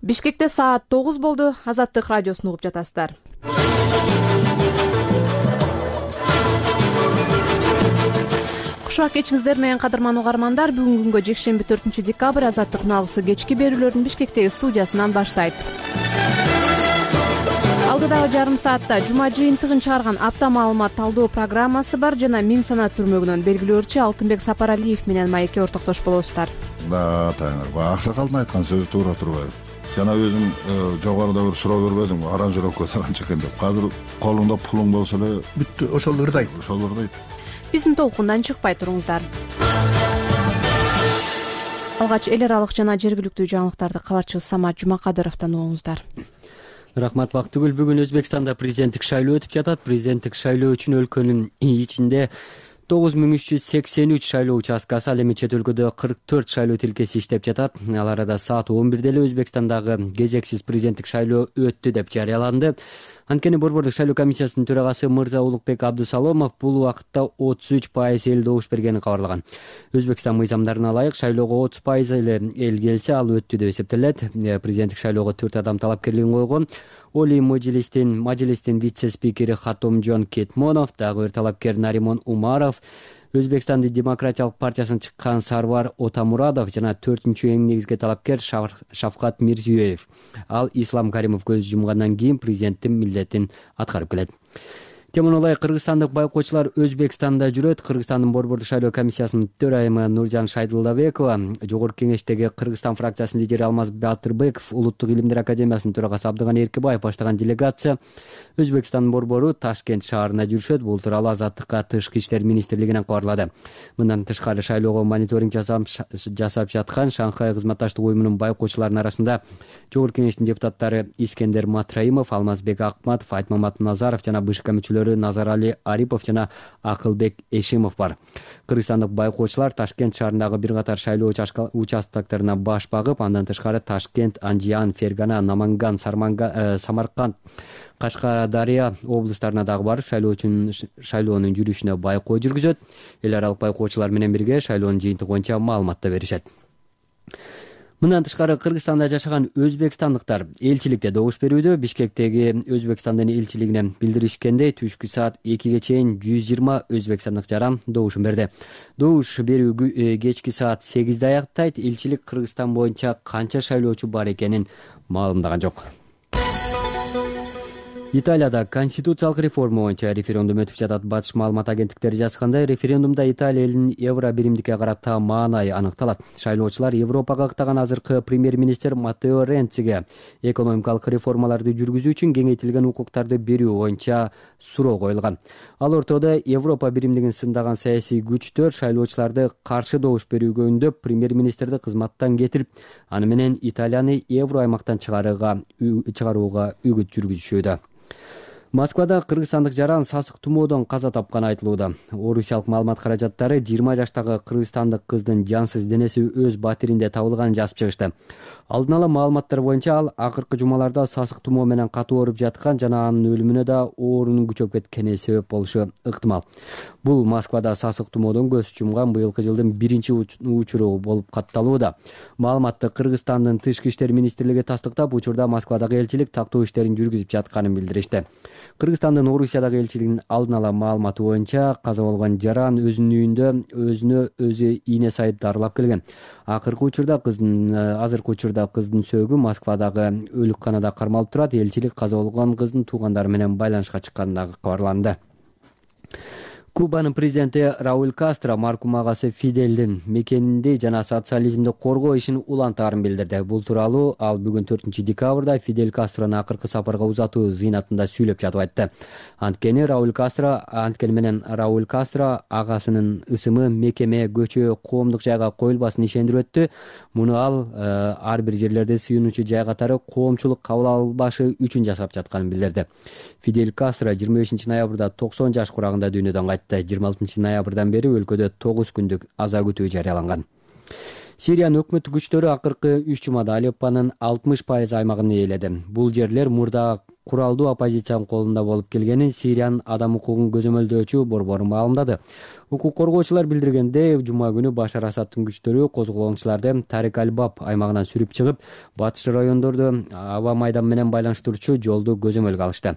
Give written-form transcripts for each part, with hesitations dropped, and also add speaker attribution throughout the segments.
Speaker 1: Бишкекте саат 9 болду. Азаттык радиосун угуп жатасыздар. Кушак кечиңиздер менен кадырман угармандар, бүгүнкү күнгө жекшемби 4-декабрь Азаттык налгысы кечки берүүлөрдүн Бишкектеги студиясынан баштайт. Алдыдагы жарым саатта жума жыйынтыгын чыгарган апта маалымат талдоо программасы бар жана Миң санат түрмөгүнөн белгилөөчү Алтынбек Сапаралиев менен маекке ортоктош болосуздар.
Speaker 2: Таңыр, аксакалдын айткан сөзү туура турбайбы? Жана өзүм жогоруда бир суроо бербедимби, аранжировка канча экен деп. Азыр колуңда пулуң болсо эле бүттү, ошол ырдайт.
Speaker 1: Биздин толкундан чыкпай туруңуздар. Алгач эл аралык жана жергиликтүү жаңылыктарды кабарчыбыз Самат Жумакадыровдон угуңуздар.
Speaker 3: Рахмат Бактыгүл. Бүгүн Өзбекстанда президенттик шайлоо өтүп жатат. Президенттик шайлоо үчүн өлкөнүн ичинде 9383 шайлоо участкасы, ал эми чет өлкөдө 44 шайлоо тилкеси иштеп жатат. Ал арада саат 11 эле Өзбекстандагы кезексиз президенттик шайлоо өттү деп жарыяланды. Анткени Борбордук шайлоо комиссиясынын төрагасы Мырза Улукбек Абдусаломов бул убакытта 33% эл добуш бергенин кабарлаган. Өзбекстан мыйзамдарына ылайык шайлоого 30% эле эл келсе, ал өттү деп эсептелет. Президенттик шайлоого 4 адам талапкерлигин койгон. Оли Мажилистин вице-спикери Хатомжон Кетмонов, дагы бир талапкер Наримон Умаров, Өзбекстандын демократиялык партиясынан чыккан Сарвар Отамурадов жана 4-эң негизги талапкер Шавкат Мирзиёев. Ал Ислам Каримов көз жумгандан кийин президенттин милдетин аткарып келет. Темон ылайык кыргызстандык байкоочулар Өзбекстанда жүрөт. Кыргызстандын Борбордук шайлоо комиссиясынын төрайымы Нуржан Шайдылдабекова, Жогорку кеңештеги Кыргызстан фракциясынын лидери Алмаз Батырбеков, Улуттук илимдер академиясынын төрагасы Абдыган Эркебаев баштаган делегация Өзбекстандын борбору Ташкент шаарына жүрүшөт. Бул тууралуу Азаттыкка Тышкы иштер министрлигинен кабарлады. Мындан тышкары шайлоого мониторинг жасап жаткан Шанхай кызматташтык уюмунун байкоочуларынын арасында Жогорку кеңештин депутаттары Искендер Матраимов, Алмазбек Акматов, Айтмамат Назаров жана БШК мүчөлөрү Назарали Арипов жана Акылбек Эшимов бар. Кыргызстандык байкоочулар Ташкент шаарындагы бир катар шайлоо участоктарына баш багып, андан тышкары Ташкент, Анжиан, Фергана, Наманган, Самарканд, Кашкадария облустарына дагы барып шайлоонун жүрүшүнө байкоо жүргүзөт. Эл аралык байкоочулар менен бирге шайлоонун жыйынтыгы боюнча маалымат да беришет. Мындан тышкары Кыргызстанда жашаган өзбекстандыктар элчиликте добуш берүүдө. Бишкектеги Өзбекстандын элчилигине билдиришкендей, түшкү саат 2ге чейин 120 өзбекстандык жаран добушун берди. Добуш берүү кечки саат 8де аяктайт. Элчилик Кыргызстан боюнча канча шайлоочу бар экенин маалымдаган жок. Италияда конституциялык реформа боюнча референдум өтүп жатат. Батыш маалымат агенттиктери жазгандай, референдумда Италия элинин евро биримдикке карата маанайы аныкталат. Шайлоочулар Европага ыктаган азыркы премьер-министр Маттео Ренциге экономикалык реформаларды жүргүзүү үчүн кеңейтилген укуктарды берүү боюнча суроо коюлган. Ал ортодо Европа биримдигин сындаган саясий күчтөр шайлоочуларды каршы добуш берүүгө үндөп, премьер-министрди кызматтан кетирип, аны менен Италияны евро аймактан чыгарууга үгүт жүргүзүшүүдө. Москвада кыргызстандык жаран сасык тумоодон каза тапканы айтылууда. Орусиялык маалымат каражаттары 20 жаштагы кыргызстандык кыздын жансыз денеси өз батиринде табылганын жазып чыгышты. Алдын ала маалыматтар боюнча ал акыркы жумаларда сасык тумоо менен катуу ооруп жаткан жана анын өлүмүнө да оорунун күчөп кеткени себеп болушу ыктымал. Бул Москвада сасык тумоодон көз жумган быйылкы жылдын биринчи учуру болуп катталууда. Маалыматты Кыргызстандын Тышкы иштер министрлиги тастыктап, учурда Москвадагы элчилик тактоо иштерин жүргүзүп жатканын билдиришти. Кыргызстандын Орусиядагы элчилигинин алдын ала маалыматы боюнча каза болгон жаран өзүнүн үйүндө өзүнө өзү ийне сайып дарылап келген. Азыркы учурда кыздын сөөгү Москвадагы өлүкканада кармалып турат. Элчилик каза болгон кыздын туугандары менен байланышка чыкканы дагы кабарланды. Кубанын президенти Рауль Кастро маркум агасы Фиделдин мекенинде жана социализмди коргоо ишин улантаарын билдирди. Бул тууралуу ал бүгүн 4-декабрда Фидель Кастрону акыркы сапарга узатуу зыйнатында сүйлөп жатып айтты. Анткени Рауль Кастро агасынын ысымы мекеме, көчө, коомдук жайга коюлбасын ишендирип өттү. Муну ал ар бир жерлерде сыйынуучу жай катары коомчулук кабыл албашы үчүн жасап жатканын билдирди. Фидель Кастро 25-ноябрда 90 жаш курагында дүйнөдөн кайтты. 26-ноябрдан бери өлкөдө 9 күндүк аза күтүү жарыяланган. Сириянын өкмөттүк күчтөрү акыркы 3 жумада Алеппонун 60% аймагын ээледи. Бул жерлер мурда куралдуу оппозициянын колунда болуп келгенин Сириянын адам укугун көзөмөлдөөчү борбору маалымдады. Укук коргоочулар билдиргендей, жума күнү Башар Асадтын күчтөрү козголоңчуларды Тарик аль-Баб аймагынан сүрүп чыгып, батыш райондорду аба майдан менен байланыштыруучу жолду көзөмөлгө алышты.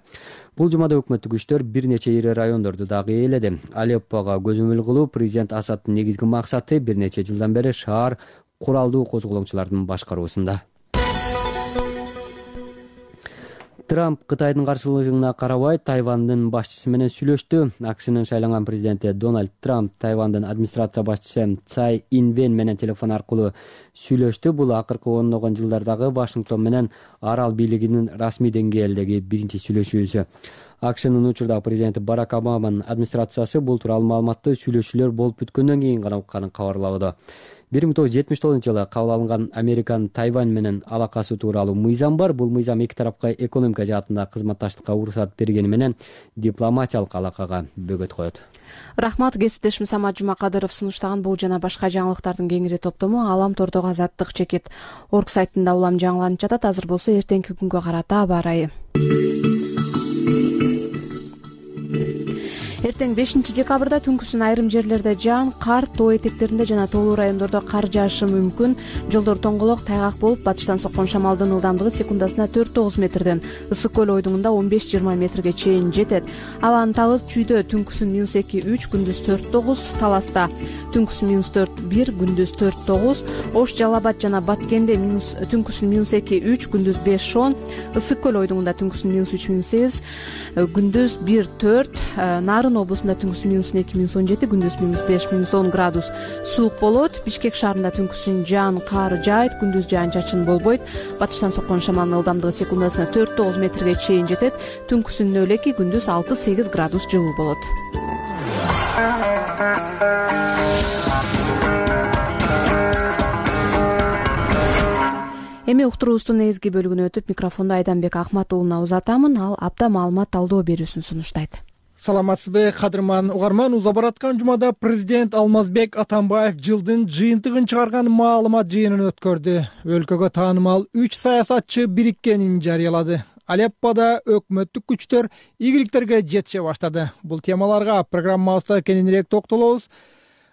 Speaker 3: Бул жумада өкмөттүк күчтөр бир нече ири райондорду дагы ээледи. Алеппого көзөмөл кылуу президент Асадтын негизги максаты бир нече жылдан бери шаар куралдуу козголоңчулардын башкаруусунда. Трамп Кытайдын каршылыгына карабай Тайвандын башчысы менен сүйлөштү. АКШнын шайланган президенти Дональд Трамп Тайвандын администрация башчысы Цай Инвен менен телефон аркылуу сүйлөштү. Бул акыркы ондогон жылдардагы Вашингтон менен арал бийлигинин расмий деңгээлдеги биринчи сүйлөшүүсү. АКШнын учурдагы президенти Барак Обаманын администрациясы бул тууралуу маалыматты сүйлөшүүлөр болуп бүткөндөн кийин гана укканын кабарлауда. 1979-жылы кабыл алынган Американын Тайвань менен алакасы тууралуу мыйзам бар. Бул мыйзам эки тарапка экономика жаатында кызматташтыкка уруксат бергени менен дипломатиялык алакага бөгөт коет.
Speaker 1: Рахмат, кесиптешим Самат Жумакадыров сунуштаган бул жана башка жаңылыктардын кеңири топтому Алам тордогу Азаттык чекит орг сайтында улам жаңыланып жатат. Азыр болсо эртеңки күнгө карата аба ырайы. Эртең 5-декабрда түнкүсүн айрым жерлерде жаан, кар, тоо этектеринде жана тоолуу райондордо кар жаашы мүмкүн. Жолдор тоңголок, тайгак болуп, батыштан соккон шамалдын ылдамдыгы секундасына 4-9 метрден Ысык көл ойдуңунда 15-20 метрге чейин жетет. Абанын табыз Чүйдө түнкүсүн -2-3, күндүз 4-9, Таласта түнкүсүн -4-1, күндүз 4-9, Ош, Жалал-Абад жана Баткенде түнкүсүн -2-3, күндүз 5-10, Ысык көл ойдуңунда түнкүсүн -3-8, күндүз 1-4, Нарын облусунда түнкүсүн -2-17, күндүз -5-10 градус суук болот. Бишкек шаарында түнкүсүн жаан, кар жаайт, күндүз жаан-чачын болбойт. Батыштан соккон шамалдын ылдамдыгы секундасына 4-9 метрге чейин жетет. Түнкүсүн нөлеки, күндүз 6-8 градус жылуу болот. Эми уктуруубуздун негизги бөлүгүнө өтүп, микрофонду Айданбек Акматуулуна узатамын. Ал апта маалымат талдоо берүүсүн сунуштайт.
Speaker 4: Саламатсызбы, кадырман угарман. Уза бараткан жумада президент Алмазбек Атамбаев жылдын жыйынтыгын чыгарган маалымат жыйынын өткөрдү. Өлкөгө таанымал 3 саясатчы бириккенин жарыялады. Алеппода өкмөттүк күчтөр ийгиликтерге жетише баштады. Бул темаларга программабызда кененирээк токтолобуз.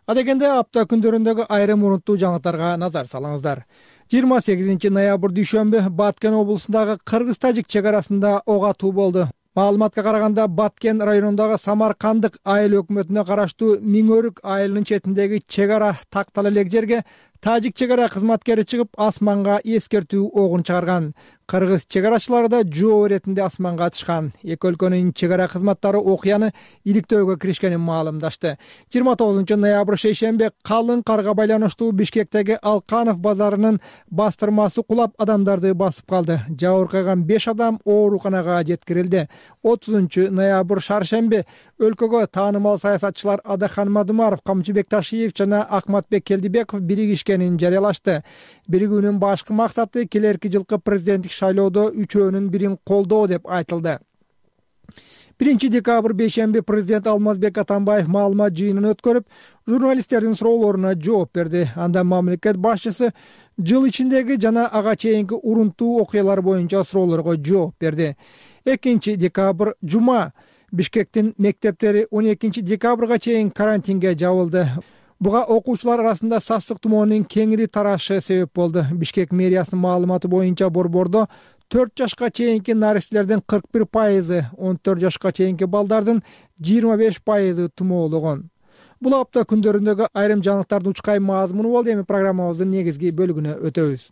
Speaker 4: Адегенде апта күндөрүндөгү айрым урунттуу жаңылыктарга назар салыңыздар. 28 ноябрь дүйшөмбү Баткен облусундагы кыргыз-тажик чек арасында ок атуу болду. Маалыматка караганда Баткен районундагы Самаркандык айыл өкмөтүнө караштуу Миңөрүк айылынын четиндеги чек ара тактал элек жерге тажик чек ара кызматкери чыгып асманга эскертүү огун чыгарган. Кыргыз чек арачылары да жоо иретинде асманга атышкан. Эки өлкөнүн чек ара кызматтары окуяны иликтөөгө киришкенин маалымдашты. 29 ноябрь шейшемби калың карга байланыштуу Бишкектеги Алканов базарынын бастырмасы кулап адамдарды басып калды. Жабыркаган 5 адам ооруканага жеткирилди. 30 ноябрь шаршемби өлкөгө таанымал саясатчылар Адахан Мадумаров, Камчыбек Ташиев жана Акматбек Келдибеков биригишкенин жарыялашты. Биригүүнүн башкы максаты келерки жылкы президенттик шайлоодо үчөөнүн бирин колдоо деп айтылды. 1 декабрь бейшемби президент Алмазбек Атамбаев маалымат жыйынын өткөрүп, журналисттердин суроолоруна жооп берди. Анда мамлекет башчысы жыл ичиндеги жана ага чейинки урунттуу окуялар боюнча суроолорго жооп берди. 2 декабрь жума Бишкектин мектептери 12 декабрга чейин карантинге жабылды. Буга окуучулар арасында сасык тумоонун кеңири тарашы себеп болду. Бишкек мэриясынын маалыматы боюнча борбордо 4 жашка чейинки наристелердин 41%, 14 жашка чейинки балдардын 25% тумоологон. Бул апта күндөрүндөгү айрым жаңылыктардын учкай мазмуну болду. Эми программабыздын негизги бөлүгүнө өтөбүз.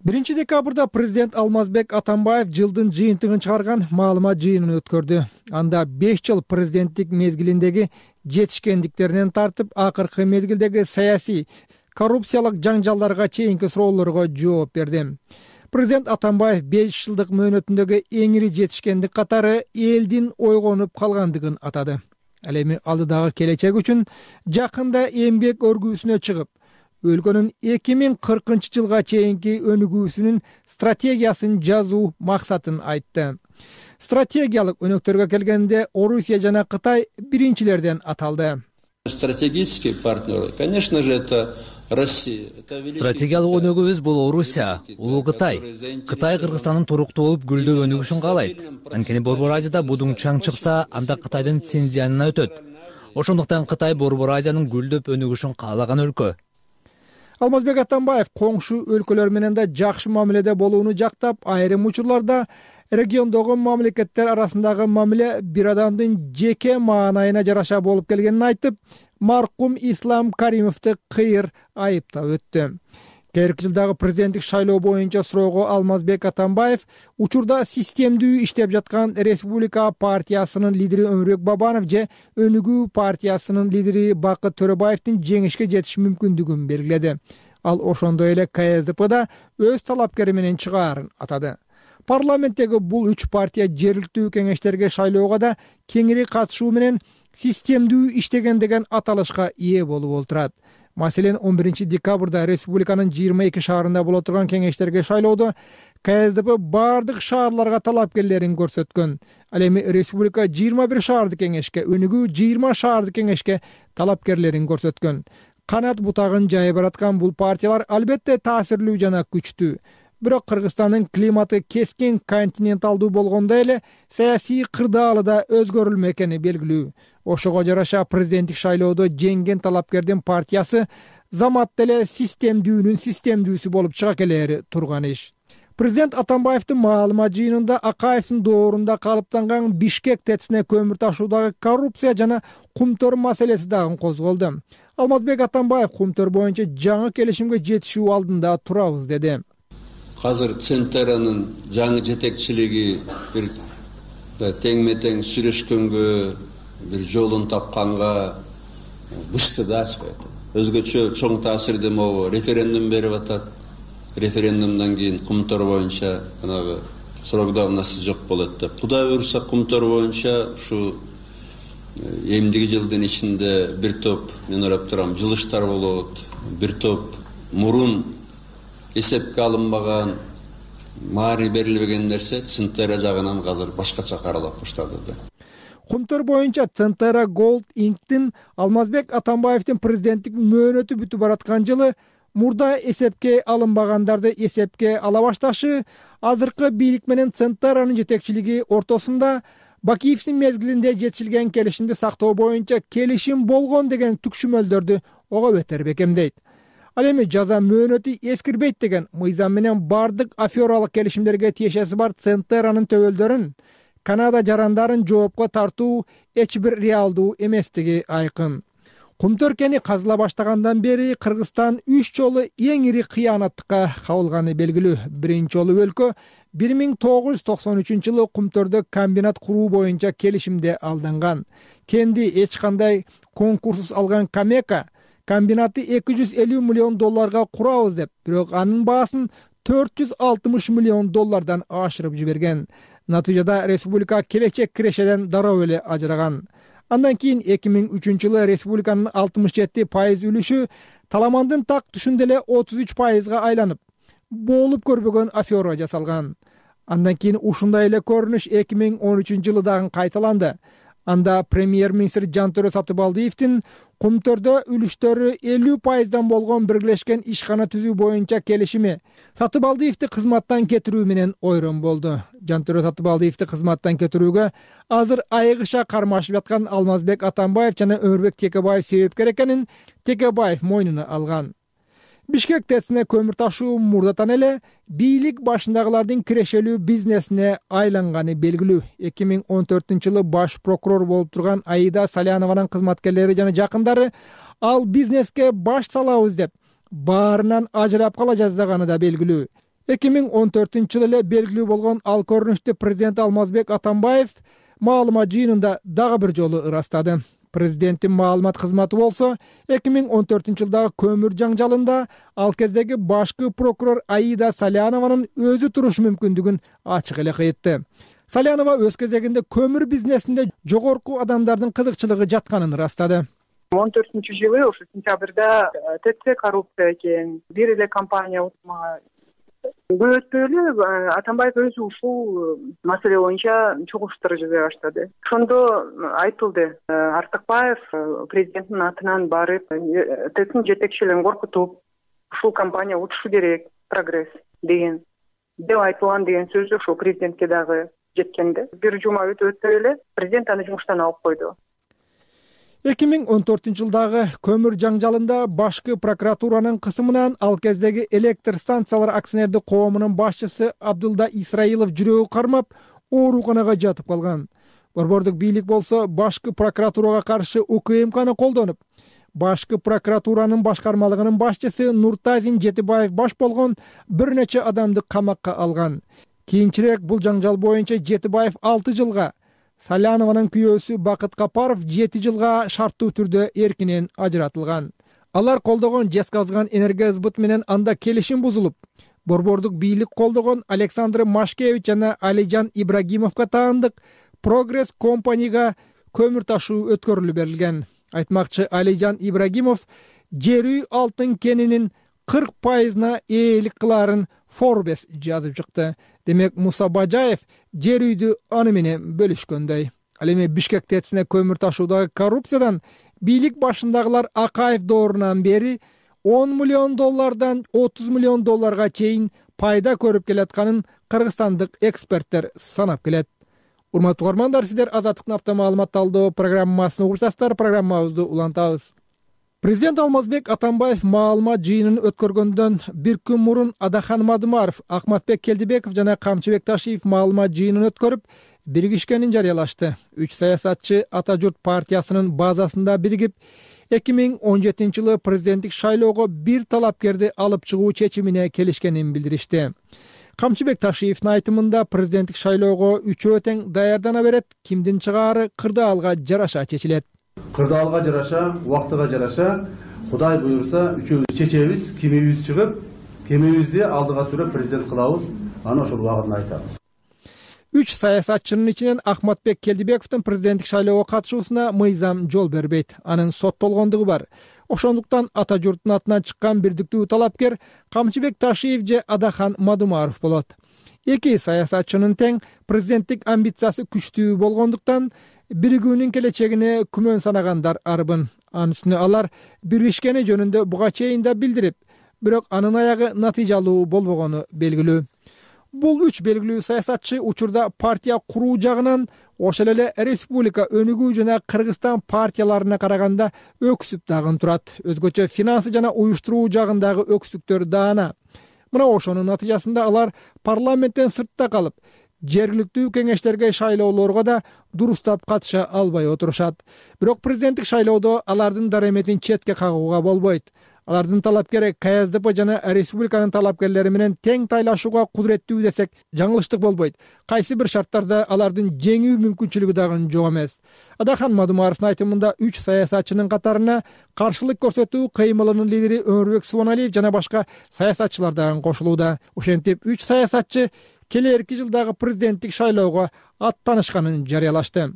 Speaker 4: 1 декабрда президент Алмазбек Атамбаев жылдын жыйынтыгын чыгарган маалымат жыйынын өткөрдү. Анда 5 жыл президенттик мезгилиндеги жетишкендиктеринен тартып, акыркы мезгилдеги саясий, коррупциялык жаңжалдарга чейинки суроолорго жооп берди. Президент Атамбаев 5 жылдык мөөнөтүндөгү эң ири жетишкендик катары элдин ойгонуп калгандыгын атады. Ал эми алдыдагы келечек үчүн жакында эмгек өргүүсүнө чыгып, өлкөнүн 2040 жылга чейинки өнүгүүсүнүн стратегиясын жазуу максатын айтты. Стратегиялык өнөктөргө келгенде Орусия жана Кытай биринчилерден аталды.
Speaker 5: Стратегические партнеры, конечно же, это Стратегиялык өнүгүүбүз бул Орусия, Улуу Кытай. Кытай Кыргызстандын туруктуу болуп гүлдөп өнүгүшүн каалайт. Анткени Борбор Азияда будуң чаң чыкса, анда Кытайдын Синьцзянына өтөт. Ошондуктан Кытай Борбор Азиянын гүлдөп өнүгүшүн каалаган өлкө.
Speaker 4: Алмазбек Атамбаев коңшу өлкөлөр менен да жакшы мамиледе болууну жактап, айрым учурларда региондогу мамлекеттер арасындагы мамиле бир адамдын жеке маанайына жараша болуп келгенин айтып, маркум Ислам Каримовду кыйыр айыптап өттү. Келерки жылдагы президенттик шайлоо боюнча суроого Алмазбек Атамбаев учурда системдүү иштеп жаткан Республика партиясынын лидери Өмүрбек Бабанов же Өнүгүү партиясынын лидери Бакыт Төрөбаевдин жеңишке жетиш мүмкүндүгүн белгиледи. Ал ошондой эле КСДПда өз талапкери менен чыгаарын атады. Парламенттеги бул 3 партия жергиликтүү кеңештерге шайлоого да кеңири катышуу менен системдүү иштеген деген аталышка ээ болуп олтурат. Маселен, 11 декабрда республиканын 22 шаарында боло турган кеңештерге шайлоодо КСДП бардык шаарларга талапкерлерин көрсөткөн. Ал эми республика 21 шаардык кеңешке, Өнүгүү 20 шаардык кеңешке талапкерлерин көрсөткөн. Канат бутагын жайып бараткан бул партиялар албетте таасирлүү жана күчтүү. Бирок Кыргызстандын климаты кескин континенталдуу болгондой эле саясий кырдаалы да өзгөрүлмө экени белгилүү. Ошого жараша президенттик шайлоодо жеңген талапкердин партиясы замат деле системдүүнүн системдүүсү болуп чыга келери турган иш. Президент Атамбаевдин маалымат жыйынында Акаевдин доорунда калыптанган Бишкек ТЭЦине көмүр ташуудагы коррупция жана кумтөр маселеси дагы козголду. Алмазбек Атамбаев кумтөр боюнча жаңы келишимге жетишүү алдында турабыз деди.
Speaker 6: Азыр Центеранын жаңы жетекчилиги бир теңме-тең сүйлөшкөнгө, бир жолун тапканга бышты да ачпайт. Өзгөчө чоң таасирди могу референдум берип атат. Референдумдан кийин кумтор боюнча жанагы срок давности жок болот деп. Кудай буйруса кумтор боюнча ушу эмдиги жылдын ичинде бир топ, мен ойлоп турам, жылыштар болот. Бир топ мурун эсепке алынбаган, маани берилбеген нерсе Центера жагынан азыр башкача каралып баштады да.
Speaker 4: Кумтөр боюнча Центера Gold Inc.тин Алмазбек Атамбаевдин президенттик мөөнөтү бүтүп бараткан жылы мурда эсепке алынбагандарды эсепке ала башташы, азыркы бийлик менен Центеранын жетекчилиги ортосунда Бакиевдин мезгилинде жетишилген келишимди сактоо боюнча келишим болгон деген түкшүмөлдөрдү ого бетер бекемдейт. Ал эми жаза мөөнөтү эскирбейт деген мыйзам менен бардык афералык келишимдерге тиешеси бар Центеранын төбөлдөрүн, Канада жарандарын жоопко тартуу эч бир реалдуу эместиги айкын. Кумтөркени казыла баштагандан бери Кыргызстан 3 жолу эң ири кыянаттыкка кабылганы белгилүү. Биринчи жолу өлкө 1993-жылы Кумтөрдө комбинат куруу боюнча келишимде алданган. Кенди эч кандай конкурссуз алган Камека комбинатты $250 миллион курабыз деп, бирок анын баасын $460 миллион ашырып жиберген. Натыйжада республика келечек кирешеден дароо эле ажыраган. Андан кийин 2003-жылы республиканын 67% үлүшү Таламандын так түшүндө эле 33%га айланып, болуп көрбөгөн афера жасалган. Андан кийин ушундай эле көрүнүш 2013-жылы дагы кайталанды. Анда премьер-министр Жантөрө Сатыбалдиевдин Кумтөрдө үлүштөрү 50%дан болгон биргелешкен ишкана түзүү боюнча келишими Сатыбалдиевди кызматтан кетирүү менен ойрон болду. Жантөрө Сатыбалдиевди кызматтан кетирүүгө азыр айыгыша кармашып жаткан Алмазбек Атамбаев жана Өмүрбек Текебаев себепкер экенин Текебаев мойнуна алган. Бишкек ТЭЦине көмүр ташуу мурдатан эле бийлик башындагылардын кирешелүү бизнесине айланганы белгилүү. 2014-жылы баш прокурор болуп турган Аида Салянованын кызматкерлери жана жакындары ал бизнеске баш салабыз деп баарынан ажырап кала жаздаганы да белгилүү. 2014-жылы эле белгилүү болгон ал көрүнүштү президент Алмазбек Атамбаев маалымат жыйынында дагы бир жолу ырастады. Президенттин маалымат кызматы болсо 2014-жылдагы көмүр жаңжалында ал кездеги башкы прокурор Аида Салянованын өзү туруш мүмкүндүгүн ачык эле айтты. Салянова өз кезегинде көмүр бизнесинде жогорку адамдардын кызыкчылыгы жатканын ырастады.
Speaker 7: 2014-жылы ошо сентябрда ТЭЦ коррупция экен, бир эле компания Көп өтпөй эле Атамбаев өзү ушул маселе боюнча чогулуштар жасай баштады. Ошондо айтылды, Артыкбаев президенттин атынан барып, ТЭЦтин жетекчилерин коркутуп, ушул компания учушу керек, прогресс деген деп айтылган деген сөз ошол президентке дагы жеткенде. Бир жума өтөй эле президент аны жумуштан алып койду.
Speaker 4: 2014-жылдагы көмүр жаңжалында башкы прокуратуранын кысымынан ал кездеги электр станциялар акционердик коомунун башчысы Абдулда Исраилов жүрөгү кармап, ооруканага жатып калган. Борбордук бийлик болсо башкы прокуратурага каршы УКМКны колдонуп, башкы прокуратуранын башкармалыгынын башчысы Нуртазин Жетибаев баш болгон бир нече адамды камакка алган. Кийинчерээк бул жаңжал боюнча Жетибаев 6 жылга, Салянованын күйөөсү Бакыт Капаров 7 жылга шарттуу түрдө эркинен ажыратылган. Алар колдогон Жезказган энергосбыт менен анда келишим бузулуп, борбордук бийлик колдогон Александр Машкевич жана Алижан Ибрагимовго таандык Прогресс компанияга көмүр ташуу өткөрүлүп берилген. Айтмакчы Алижан Ибрагимов жер үй алтын кенинин 40% ээлик кыларын Forbes жазып чыкты. Демек Муса Бажаев жер үйдү аны менен бөлүшкөндөй. Ал эми Бишкек ТЭЦине көмүр ташуудагы коррупциядан бийлик башындагылар Акаев доорунан бери $10 миллион 30 миллион долларга чейин пайда көрүп келатканын кыргызстандык эксперттер санап келет. Урматтуу угармандар, сиздер Азаттыктын апта маалымат талдоо программасын угуп жатасыздар. Программабызды улантабыз. Президент Алмазбек Атамбаев маалымат жыйынын өткөргөндөн бир күн мурун Адахан Мадумаров, Акматбек Келдибеков жана Камчыбек Ташиев маалымат жыйынын өткөрүп, биригишкенин жарыялашты. 3 саясатчы Ата журт партиясынын базасында биригип, 2017-жылы президенттик шайлоого бир талапкерди алып чыгуу чечимине келишкенин билдиришти. Камчыбек Ташиевдин айтымында президенттик шайлоого үчөө тең даярдана берет, кимдин чыгаары кырдаалга жараша чечилет.
Speaker 8: Кырдаалга жараша, убактыга жараша, Кудай буйрса үчөөбүз чечебиз, кимибиз чыгып, кимибизди алдыга сүрөп президент кылабыз, аны ошол убагында айтабыз.
Speaker 4: 3 саясатчынын ичинен Акматбек Келдибековдун президенттик шайлоого катышуусуна мыйзам жол бербейт. Анын соттолгондугу бар. Ошондуктан Ата журттун атынан чыккан бирдиктүү талапкер Камчыбек Ташиев же Адахан Мадумаров болот. Эки саясатчынын тең президенттик амбициясы күчтүү болгондуктан биригүүнүн келечегине күмөн санагандар арбын. Анын үстүнө алар биришкени жөнүндө буга чейин да билдирип, бирок анын аягы натыйжалуу болбогону белгилүү. Бул 3 белгилүү саясатчы учурда партия куруу жагынан ошол эле республика өнүгүү жана Кыргызстан партияларына караганда өксүп дагы турат. Өзгөчө финансы жана уюштуруу жагындагы өксүктөр даана. Мына ошонун натыйжасында алар парламенттен сыртта калып, жергиликтүү кеңештерге шайлоолорго да дурустап катыша албай отурушат. Бирок президенттик шайлоодо алардын дараметин четке кагууга болбойт. Алардын талапкери КСДП жана республиканын талапкерлери менен тең тайлашууга кудуреттүү десек жаңылыштык болбойт. Кайсы бир шарттарда алардын жеңүү мүмкүнчүлүгү дагы жок эмес. Адахан Мадумаровдун айтымында 3 саясатчынын катарына каршылык көрсөтүү кыймылынын лидери Өмүрбек Субаналиев жана башка саясатчылар дагы кошулууда. Ошентип 3 саясатчы келерки жылдагы президенттик шайлоого аттанышканын жарыялашты.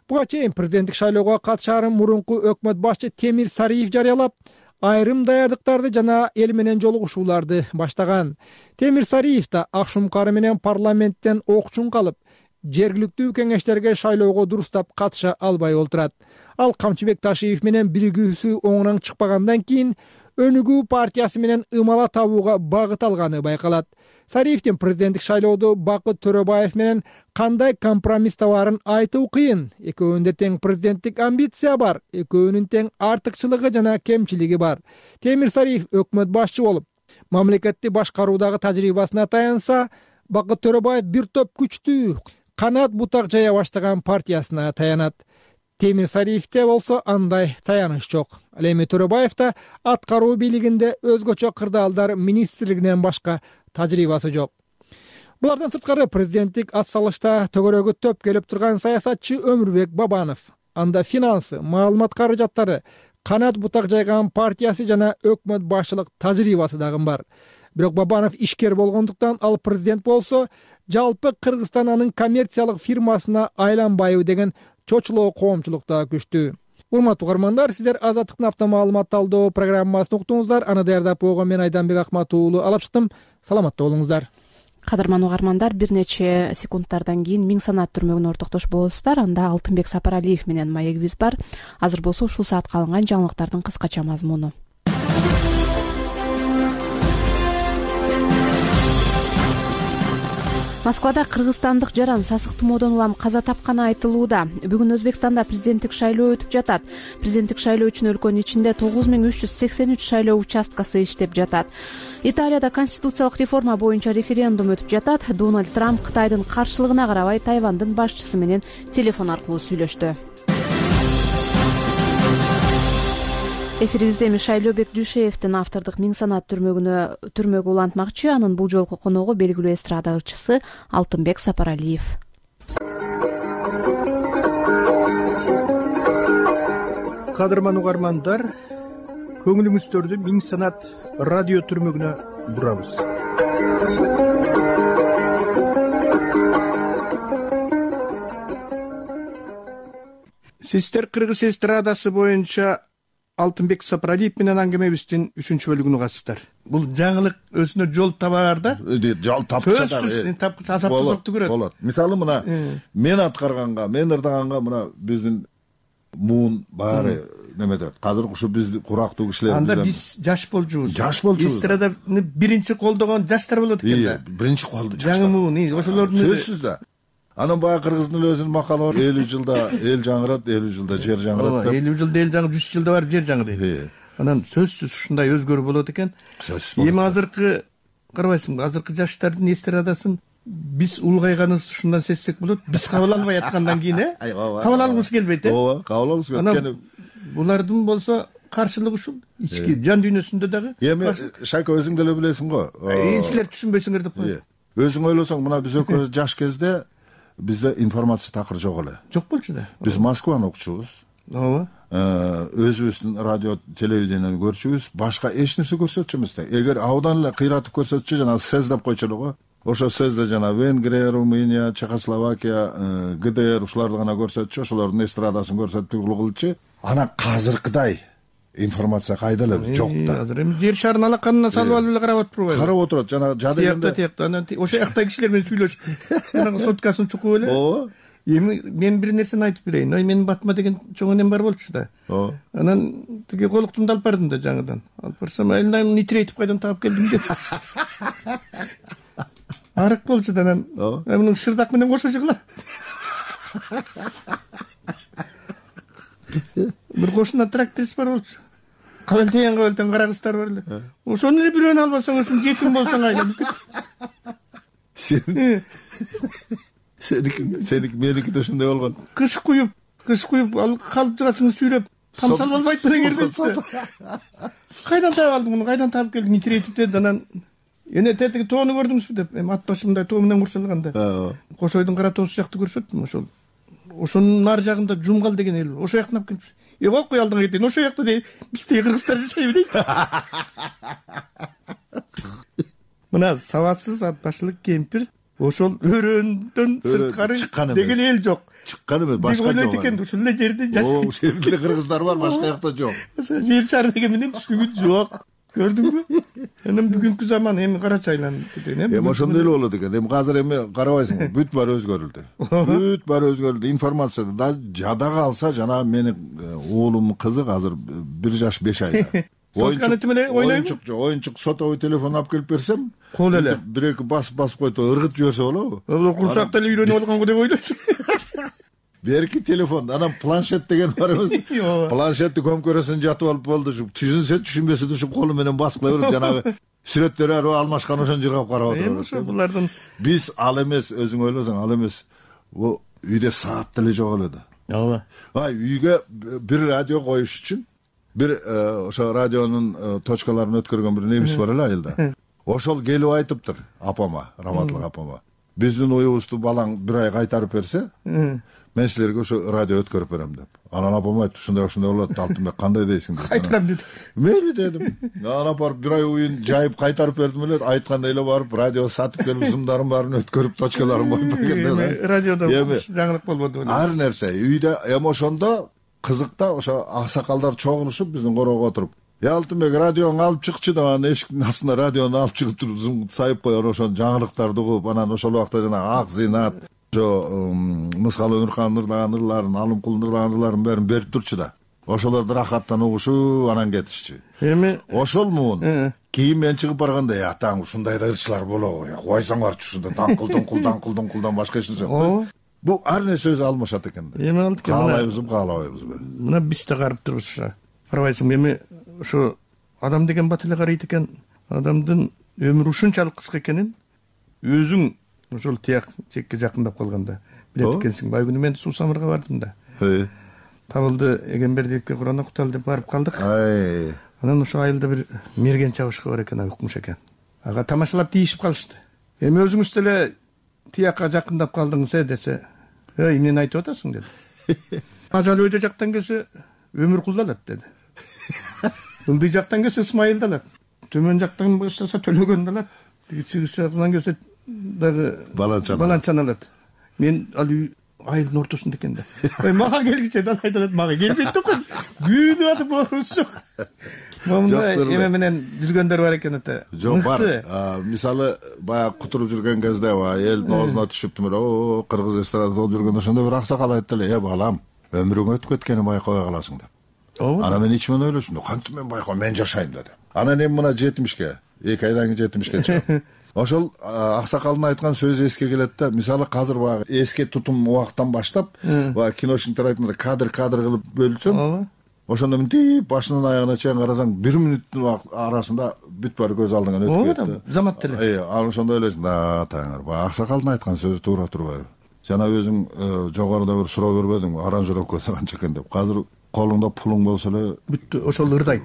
Speaker 4: Буга чейин президенттик шайлоого катышаарын мурунку өкмөт башчы Темир Сариев жарыялап, айрым даярдыктарды жана эл менен жолугушууларды баштаган. Темир Сариев да Акшумкары менен парламенттен окчун калып, жергиликтүү кеңештерге шайлоого дурустап катыша албай олтурат. Ал Камчыбек Ташиев менен биригүүсү оңунан чыкпагандан кийин Өнүгүү партиясы менен ымала табууга багыт алганы байкалат. Сариевдин президенттик шайлоодо Бакыт Төрөбаев менен кандай компромисс табаарын айтуу кыйын. Экөөнүндө тең президенттик амбиция бар, экөөнүн тең артыкчылыгы жана кемчилиги бар. Темир Сариев өкмөт башчы болуп, мамлекетти башкаруудагы тажрыйбасына таянса, Бакыт Төрөбаев бир топ күчтүү, канат бутак жая баштаган партиясына таянат. Темир Сариевде болсо андай таяныш жок. Ал эми Төрөбаевда аткаруу бийлигинде өзгөчө кырдаалдар министрлигинен башка тажрыйбасы жок. Булардан сырткары президенттик ат салышта төгөрөгө төп келип турган саясатчы Өмүрбек Бабанов. Анда финансы, маалымат каражаттары, канат бутак жайган партиясы жана өкмөт башчылык тажрыйбасы дагы бар. Бирок Бабанов ишкер болгондуктан ал президент болсо, жалпы Кыргызстан анын коммерциялык фирмасына айланбайбы деген чочулоо коомчулукта күчтүү. Урматтуу угармандар, сиздер Азаттыктын автомаалымат талдоо программасын уктуңуздар. Аны даярдап койгон мен Айданбек Акматов уулу алып чыктым. Саламатта болуңуздар.
Speaker 1: Кадырман угармандар, бир нече секундтардан кийин Миң санат түрмөгүнө ортоктошуп болосуздар. Анда Алтынбек Сапаралиев менен маегибиз бар. Азыр болсо ушул саатка алынган жаңылыктардын кыскача мазмуну. Москвада кыргызстандык жаран сасык тумоодон улам каза тапканы айтылууда. Бүгүн Өзбекстанда президенттик шайлоо өтүп жатат. Президенттик шайлоо үчүн өлкөнүн ичинде 9383 шайлоо участкасы иштеп жатат. Италияда конституциялык реформа боюнча референдум өтүп жатат. Дональд Трамп Кытайдын каршылыгына карабай Тайвандын башчысы менен телефон аркылуу сүйлөштү. Эфирибизде Мишайлобек Дүйшеевдин автордук Миң санат түрмөгү улантмакчы. Анын бул жолку коногу белгилүү эстрада ырчысы Алтынбек Сапаралиев.
Speaker 4: Кадырман угармандар, көңүлүңүздөрдү Миң санат радио түрмөгүнө бурабыз. Сиздер кыргыз эстрадасы боюнча Алтынбек Сапаралиев менен аңгемебиздин 3-чү бөлүгүн угасыздар. Бул жаңылык өзүнө жол табаар да.
Speaker 2: Жол тапча да.
Speaker 4: Асап тозокту көрөт.
Speaker 2: Болот. Мисалы мына мен аткарганга, мен ырдаганга мына биздин муун баары неметет. Азыр ушу биз курактуу кишилер.
Speaker 4: Анда биз жаш болчубуз.
Speaker 2: Эстраданы
Speaker 4: биринчи колдогон жаштар болот экен да.
Speaker 2: Биринчи колду жаштар.
Speaker 4: Жаңы муун, ошолордун
Speaker 2: сөзсүз да. Анан баягы кыргыздын өзүнүн макалы бар. 50 жылда эл жаңырат, 50 жылда жер жаңырат деп.
Speaker 4: 50 жылда эл жаңы, 100 жылда барып жер жаңы дейт. Анан сөзсүз ушундай өзгөрүү болот экен. Эми азыркы карабайсыңбы, азыркы жаштардын эстрадасын биз улгайганыбыз ушундан сезсек болот. Биз кабыл албай аткандан кийин, кабыл алгыбыз келбейт,
Speaker 2: ооба, кабыл алгыбыз келбейт.
Speaker 4: Булардын болсо каршылыгы ушул ички жан дүйнөсүндө дагы.
Speaker 2: Эми Шайка өзүң деле билесиң го.
Speaker 4: Силер түшүнбөйсүңөр деп коет.
Speaker 2: Өзүң ойлосоң, мына биз экөөбүз жаш кезде бизде информация такыр жок эле.
Speaker 4: Жок болчу да.
Speaker 2: Биз Москваны окучубуз.
Speaker 4: Ооба.
Speaker 2: Өзүбүздүн радио, телевидениени көрчүбүз, башка эч нерсе көрсөтчү эмес да. Эгер абдан эле кыйратып көрсөтчү, жана СЭЗ деп койчу эле го. Ошо СЭЗде жана Венгрия, Румыния, Чехословакия, ГДР ушуларды гана көрсөтчү, ошолордун эстрадасын көрсөтүп кылчу. Анан азыркыдай информация кайда эле жок да.
Speaker 4: Азыр эми жер шарын алаканына салып алып эле карап отурбайбы?
Speaker 2: Карап отурат, жана жадыгында.
Speaker 4: Тиякта, анан ошо жакта кишилер менен сүйлөшүп, жанагы соткасын чукуп эле.
Speaker 2: Ооба.
Speaker 4: Эми мен бир нерсени айтып берейин. Менин батыма деген чоң энем бар болчу да. Анан тиги колуктумду алып бардым да жаңыдан. Алып барсам, айылдан нитрейтип кайдан таап келдим деп. Арык болчу да анан. Мунун шырдак менен кошо жыгыла. Бир кошуна тракторист бар болчу. Кабелтен кара кыздар бар эле. Ошону эле бирөөнү албасаң, өзүң жетим болсоң айланып кет.
Speaker 2: Сеники меники да ошондой болгон.
Speaker 4: Кыш куюп, калып турасың сүйрөп, тамсал болбойт деген эрдетти. Кайдан таап алдың муну, кайдан таап келдиң, нитрейтип деди. Анан эне тетиги тоону көрдүңүзбү деп, эми ат башымдай тоо менен курсалганда. Кошойдун кара тоосу жакты көрсөттүм ошол. Ошонун нар жагында Жумгал деген эл бар. Ошо жактан алып келип, койкой алдыңа кетейин. Ошо жакта дейт, бизде кыргыздар жашайбы дейт. Мына сабатсыз ат башылык кемпир ошол өрөөндөн сырткары деген эл жок.
Speaker 2: Чыккан эмес, башка жок.
Speaker 4: Ойлойт экен, ушул эле жерде жашайт.
Speaker 2: Ошол жерде кыргыздар бар, башка жакта жок.
Speaker 4: Жер шары деген менен түшүнүк жок. Көрдүңбү? Анан бүгүнкү заман эми карачы айланып кеткен.
Speaker 2: Эми ошондой эле болот экен. Эми азыр эми карабайсың, бүт баары өзгөрүлдү. Бүт баары өзгөрүлдү. Информация да жадага алса, жана менин уулумдун кызы азыр 1 жаш 5 айда. Оюнчук сотовый телефон алып келип берсем,
Speaker 4: кол эле
Speaker 2: бир-эки басып койду, ыргытып жиберсе болобу?
Speaker 4: Курсакта эле үйрөнүп алганго деп ойлойсуң.
Speaker 2: Берки телефон, анан планшет деген бар эмес. Планшетти көмкөрөсүн жатып алып болду. Түшүнсө, түшүнбөсө ушул колу менен басып кыла берет. Жанагы сүрөттөр алмашкан ошон жыргап карап отурат.
Speaker 4: Ошо булардын
Speaker 2: биз ал эмес, өзүң ойлосоң, ал эмес. Бул үйдө саат деле жок эле да.
Speaker 4: Ооба.
Speaker 2: Үйгө бир радио коюш үчүн бир ошо радионун точкаларын өткөргөн бир немис бар эле айылда. Ошол келип айтыптыр апама, Раматлык апама. Биздин уюбузду балаң 1 ай кайтарып берсе, мен силерге ошо радио өткөрүп берем деп. Анан апам айтты, ушундай болот, Алтынбек кандай дейсиң деп.
Speaker 4: Кайтарам деди.
Speaker 2: Мейли дедим. Анан апарып 1 ай уюн жайып кайтарып бердим эле, айткандай эле барып радио сатып келип зымдарын баарын өткөрүп, точкаларын коюп бергенде.
Speaker 4: Радиодо жаңылык болбоду.
Speaker 2: Ар нерсе үйдө эми ошондо кызык да, ошо аксакалдар чогулушуп биздин короого отуруп, Алтынбек радиону алып чыкчы деп, анан эшиктин астына радиону алып чыгып туруп зым сайып коер, ошо жаңылыктарды угуп, анан ошол убакта жанагы Ак Зыйнат, ошо Мыскал Өмүркан ырлаган ырларын, Алымкул ырлаган ырларын бәрин берип турчу да. Ошолорду рахаттан угушуп, анан кетишчү.
Speaker 9: Эми
Speaker 2: ошол муун кийин мен чыгып барганда, атаң ушундай да ырчылар болобу, койсоңорчу ушунда даңкылдан башка эч нерсе жок. Бул ар нерсе өзү алмашат экен да.
Speaker 9: Эми алты
Speaker 2: каалайбызбы, каалабайбызбы.
Speaker 9: Мына биз да карап турбуз. Карабайсың, эми ошо адам деген бат эле карайт экен. Адамдын өмүрү ушунчалык кыска экенин өзүң ошол тияк чекке жакындап калганда билет экенсиң. Байгүнү мен Суу Самырга бардым да. Табылды Эгембердиевке Куран окуталы деп барып калдык. Анан ошо айылда бир мерген чабышкы бар экен, укмуш экен. Ага тамашалап тийишип калышты. Эми өзүңүз деле тиякка жакындап калдыңыз десе, эмнени айтып атасың деди. Ажал өйдө жактан келсе Өмүркулду алат деди. Ылдый жактан келсе Исмайылды алат. Төмөн жактан баштаса Төлөгөндү алат. Чыгыш жактан келсе дагы Баланчаны алат. Мен ал айылдын ортосунда экен да. Мага келгиче алат, мага келбейт да экен. Күйдүп атып борубуз жок. Момунда эме менен жүргөндөр бар экен ата.
Speaker 2: Жок, бар. Мисалы баягы кутуруп жүргөн кезде элдин оозуна түшүптү, кыргыз эстрадада болуп жүргөндө ошондо бир аксакал айтты эле, балам, өмүрүң өтүп кеткенин байкабай каласың деп. Анан мен ичимен ойлошум, кантип мен байкабайм, мен жашайм дедим. Анан эми мына 70ке, 2 айдан кийин 70ке чыгам. Ошол аксакалдын айткан сөзү эске келет да. Мисалы азыр баягы эске тутум убактан баштап, баягы киношниктер айткандай кадр кылып бөлүнсөң, ошондо мынтип башынан аягына чейин карасаң 1 мүнөттүн арасында бүт баары көз алдыңан өтүп кетти.
Speaker 9: Замат деле.
Speaker 2: Анан ошондо ойлойсуң, таңыр, баягы аксакалдын айткан сөзү туура турбайбы? Жана өзүң жогоруда бир суроо бербедиңби, аранжировкасы канча экен деп. Азыр колуңда пулуң болсо эле
Speaker 9: бүттү, ошол ырдайт.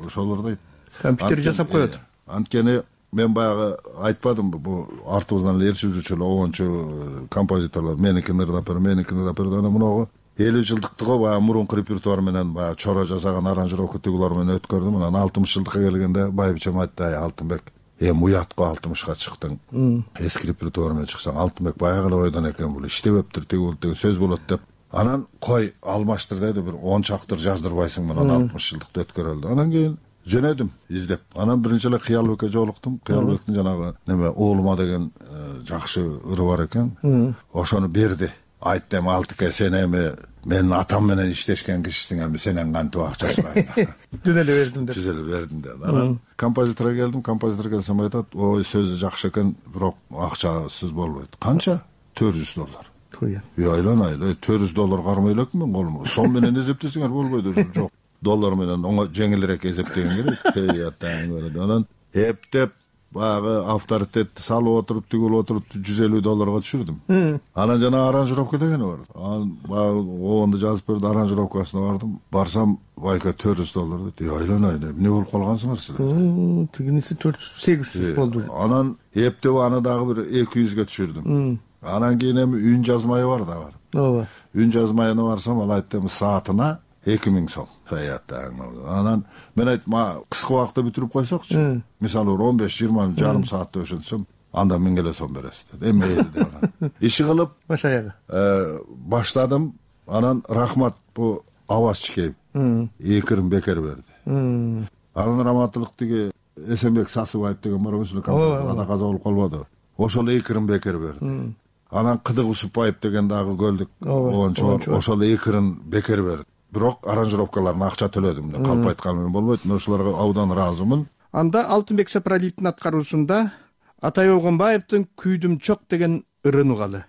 Speaker 9: Компьютер жасап коет.
Speaker 2: Анткени мен баягы айтпадымбы, бул артыбыздан эле ээрчип жүрчү эле огончу композиторлор меникини ырдап бер, анан мунагу 50 жылдыктыгы баягы мурунку репертуар менен баягы чора жасаган аранжировка тигулар менен өткөрдүм. Анан 60 жылдыкка келгенде байбичем айтты, Алтынбек, эми уят го 60ка чыктың. Эски репертуар менен чыксаң, Алтынбек баягы эле ойдон экен, бул иштебептир, тигул деген сөз болот деп. Анан кой алмаштыр деди, бир 10 чактыр жаздырбайсың менен 60 жылдыкты өткөрөлдү. Анан кийин жөнөдүм издеп. Анан биринчи эле Кыялбекке жолуктум. Кыялбектин жанагы неме Оолума деген жакшы ыры бар экен. Ошону берди. Айтты, эми Алтыке, сен эми менин атам менен иштешкен кишисиң, эми сенен кантип акча сурайм.
Speaker 9: Түз эле бердим деп.
Speaker 2: Түз эле бердим деп. Анан композиторго келдим, композитор келсем айтат, ой, сөзү жакшы экен, бирок акчасыз болбойт. Канча? $400. Айланай, $400 кармай элекмин мен колумда. Сом менен эсептесеңер болбойт, жок. Доллар менен жеңилирээк эсептеген керек. Анан эптеп баягы авторитетти салып отуруп, тигип отуруп $150 түшүрдүм. Анан жана аранжировка дегени бар. Анан баягы обонду жазып берди, аранжировкасына бардым. Барсам, байка $400 деди. Айланай, эмне болуп калгансыңар силер?
Speaker 9: Тигиниси 400-800 болду.
Speaker 2: Анан эптеп аны дагы бир 200ге түшүрдүм. Анан кийин эми үн жазмайы бар да бар.
Speaker 9: Ооба.
Speaker 2: Үн жазмайына барсам, ал айтты, саатына 2000 сом. Анан мен айттым, кыска убакытта бүтүрүп койсокчу. Мисалы 15-20 жарым саатта өшөнсөм, анда 1000 келе сом бересиз деди. Эми деп. Иши кылып
Speaker 9: баш аягы
Speaker 2: баштадым. Анан рахмат бу Аваз Чикеев 2 бекер берди. Анан раматтылык тиги Эсенбек Сасыбаев деген бар эмес, ада каза болуп калбады. Ошол 2 бекер берди. Анан Кыдык Усупбаев деген дагы көлдүк оончу бар. Ошол 2 бекер берди. Бирок аранжировкаларына акча төлөдүм. Калп айтканым болбойт. Мен ошолорго абдан ыраазымын.
Speaker 9: Анда Алтынбек Сапаралиевдин аткаруусунда Атай Огонбаевдин Күйдүм чок деген ырын угалы.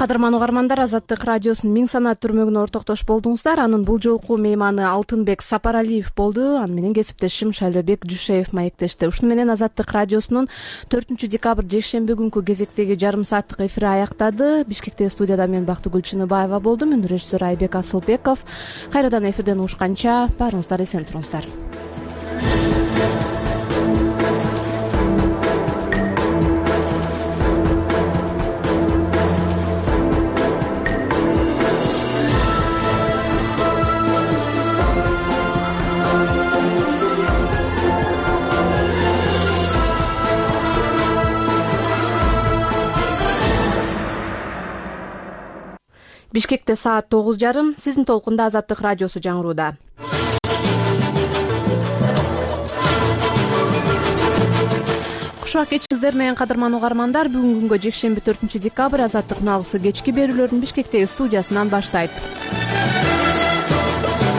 Speaker 1: Кадырман угармандар, Азаттык радиосунун Миң санат түрмөгүнө ортоктош болдуңуздар. Анын бул жолку мейманы Алтынбек Сапаралиев болду. Аны менен кесиптешим Шайлообек Жушеев маектешти. Ушуну менен Азаттык радиосунун 4-декабрь жекшемби күнкү кезектеги жарым сааттык эфири аяктады. Бишкектеги студияда мен Бактыгүл Чыныбаева болдум. Үн режиссер Айбек Асылбеков. Кайрадан эфирден угушканча баарыңыздар эсен туруңуздар. Бишкекте саат 9:30. Сиздин толкунда Азаттык радиосу жаңырууда. Кушак кечиңиздер менен кадырман угармандар, бүгүнкү күнгө жекшемби 4-декабрь Азаттыктын алгысы кечки берүүлөрүн Бишкектеги студиясынан баштайт.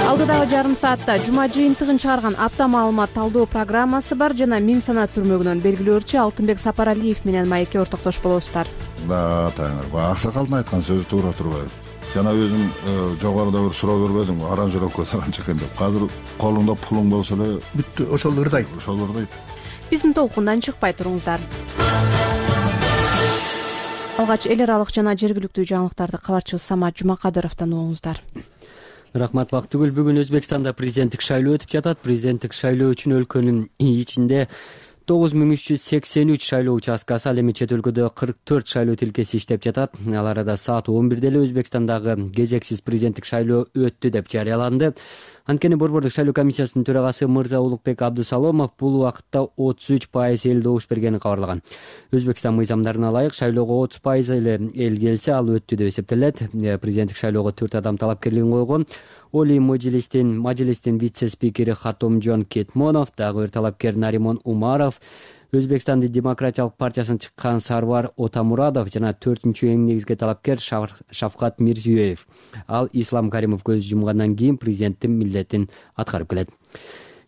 Speaker 1: Алдыдагы жарым саатта жума жыйынтыгын чыгарган апта маалымат талдоо программасы бар жана Миң санат түрмөгүнөн белгилөөчү Алтынбек Сапаралиев менен маекке ортоктош болосуздар.
Speaker 2: Таңыр, аксакалдын айткан сөзү туура турбайбы? Жана өзүм жогоруда бир суроо бербедимби, аранжировкасы канча экен деп. Азыр колуңда пулуң болсо эле бүттү, ошол ырдайт.
Speaker 1: Биздин толкундан чыкпай туруңуздар. Алгач эл аралык жана жергиликтүү жаңылыктарды кабарчыбыз Самат Жумакадыровдон угуңуздар.
Speaker 3: Рахмат Бактыгүл. Бүгүн Өзбекстанда президенттик шайлоо өтүп жатат. Президенттик шайлоо үчүн өлкөнүн ичинде 9383 шайлоо участкасы, ал эми чет өлкөдө 44 шайлоо тилкеси иштеп жатат. Ал арада саат 11-де эле Өзбекстандагы кезексиз президенттик шайлоо өттү деп жарыяланды. Анткени Борбордук шайлоо комиссиясынын төрагасы Мырза Улукбек Абдусаломов бул убакытта 33% эл добуш бергенин кабарлаган. Өзбекстан мыйзамдарына ылайык шайлоого 30% эле эл келсе, ал өттү деп эсептелет. Президенттик шайлоого 4 адам талапкерлигин койгон. Оли Мажилистин вице-спикери Хатомжон Кетмонов, дагы бир талапкер Наримон Умаров, Өзбекстандын демократиялык партиясынан чыккан Сарвар Отамурадов жана 4-эң негизги талапкер Шавкат Мирзиёев. Ал Ислам Каримов көз жумгандан кийин президенттин милдетин аткарып келет.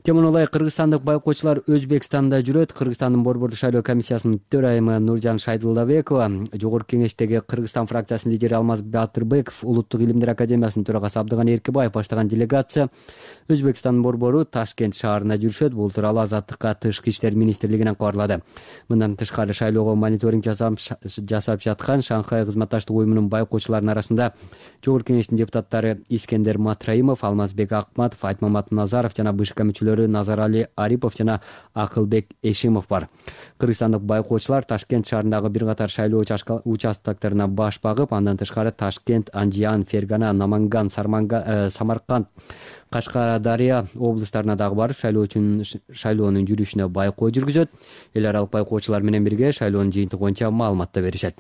Speaker 3: Темуна ылайык кыргызстандык байкоочулар Өзбекстанда жүрөт. Кыргызстандын Борбордук шайлоо комиссиясынын төрайымы Нуржан Шайдылдабекова, Жогорку кеңештеги Кыргызстан фракциясынын лидери Алмаз Батырбеков, Улуттук илимдер академиясынын төрагасы Абдыган Эркебаев баштаган делегация Өзбекстандын борбору Ташкент шаарына жүрүшөт. Бул тууралуу Азаттыкка Тышкы иштер министрлигинен кабарлады. Мындан тышкары шайлоого мониторинг жасап жаткан Шанхай кызматташтык уюмунун байкоочуларынын арасында Жогорку кеңештин депутаттары Искендер Матраимов, Алмазбек Акматов, Айтмамат Назаров жана БШК мүчөлөрү Назарали Арипов жана Акылбек Эшимов бар. Кыргызстандык байкоочулар Ташкент шаарындагы бир катар шайлоо участоктарына баш багып, андан тышкары Ташкент, Анжиан, Фергана, Наманган, Самарканд, Кашкадария облустарына дагы барып шайлоонун жүрүшүнө байкоо жүргүзөт. Эл аралык байкоочулар менен бирге шайлоонун жыйынтыгы боюнча маалымат да беришет.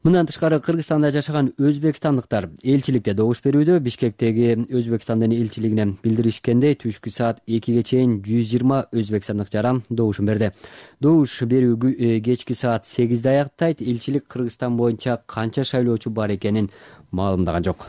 Speaker 3: Мындан тышкары Кыргызстанда жашаган өзбекстандыктар элчиликте добуш берүүдө. Бишкектеги Өзбекстандын элчилигине билдиришкендей, түшкү саат 2ге чейин 120 өзбекстандык жаран добушун берди. Добуш берүү кечки саат 8де аяктайт. Элчилик Кыргызстан боюнча канча шайлоочу бар экенин маалымдаган жок.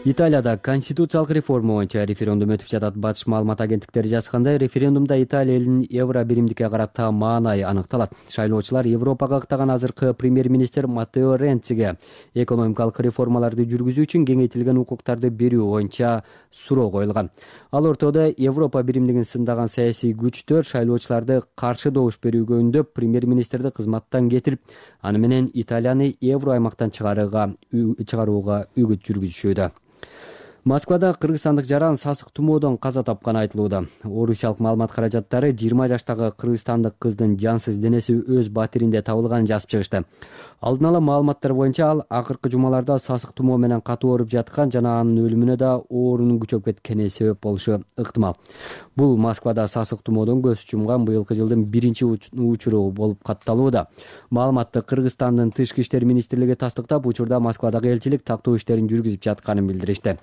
Speaker 3: Италияда конституциялык реформа боюнча референдум өтүп жатат. Батыш маалымат агенттиктери жазгандай, референдумда Италия элинин евро биримдикке карата маанайы аныкталат. Шайлоочулар Европага каттаган азыркы премьер-министр Маттео Ренциге экономикалык реформаларды жүргүзүү үчүн кеңейтилген укуктарды берүү боюнча суроо коюлган. Ал ортодо Европа биримдигин сындаган саясий күчтөр шайлоочуларды каршы добуш берүүгө үндөп, премьер-министрди кызматтан кетирип, аны менен Италияны евро аймактан чыгарууга үгүт жүргүзүшүүдө. Москвада кыргызстандык жаран сасык тумоодон каза тапканы айтылууда. Орусиялык маалымат каражаттары 20 жаштагы кыргызстандык кыздын жансыз денеси өз батиринде табылганын жазып чыгышты. Алдын ала маалыматтар боюнча ал акыркы жумаларда сасык тумоо менен катуу ооруп жаткан жана анын өлүмүнө да оорунун күчөп кеткени себеп болушу ыктымал. Бул Москвада сасык тумоодон көз жумган быйылкы жылдын биринчи учуру болуп катталууда. Маалыматты Кыргызстандын Тышкы иштер министрлиги тастыктап, учурда Москвадагы элчилик тактоо иштерин жүргүзүп жатканын билдиришти.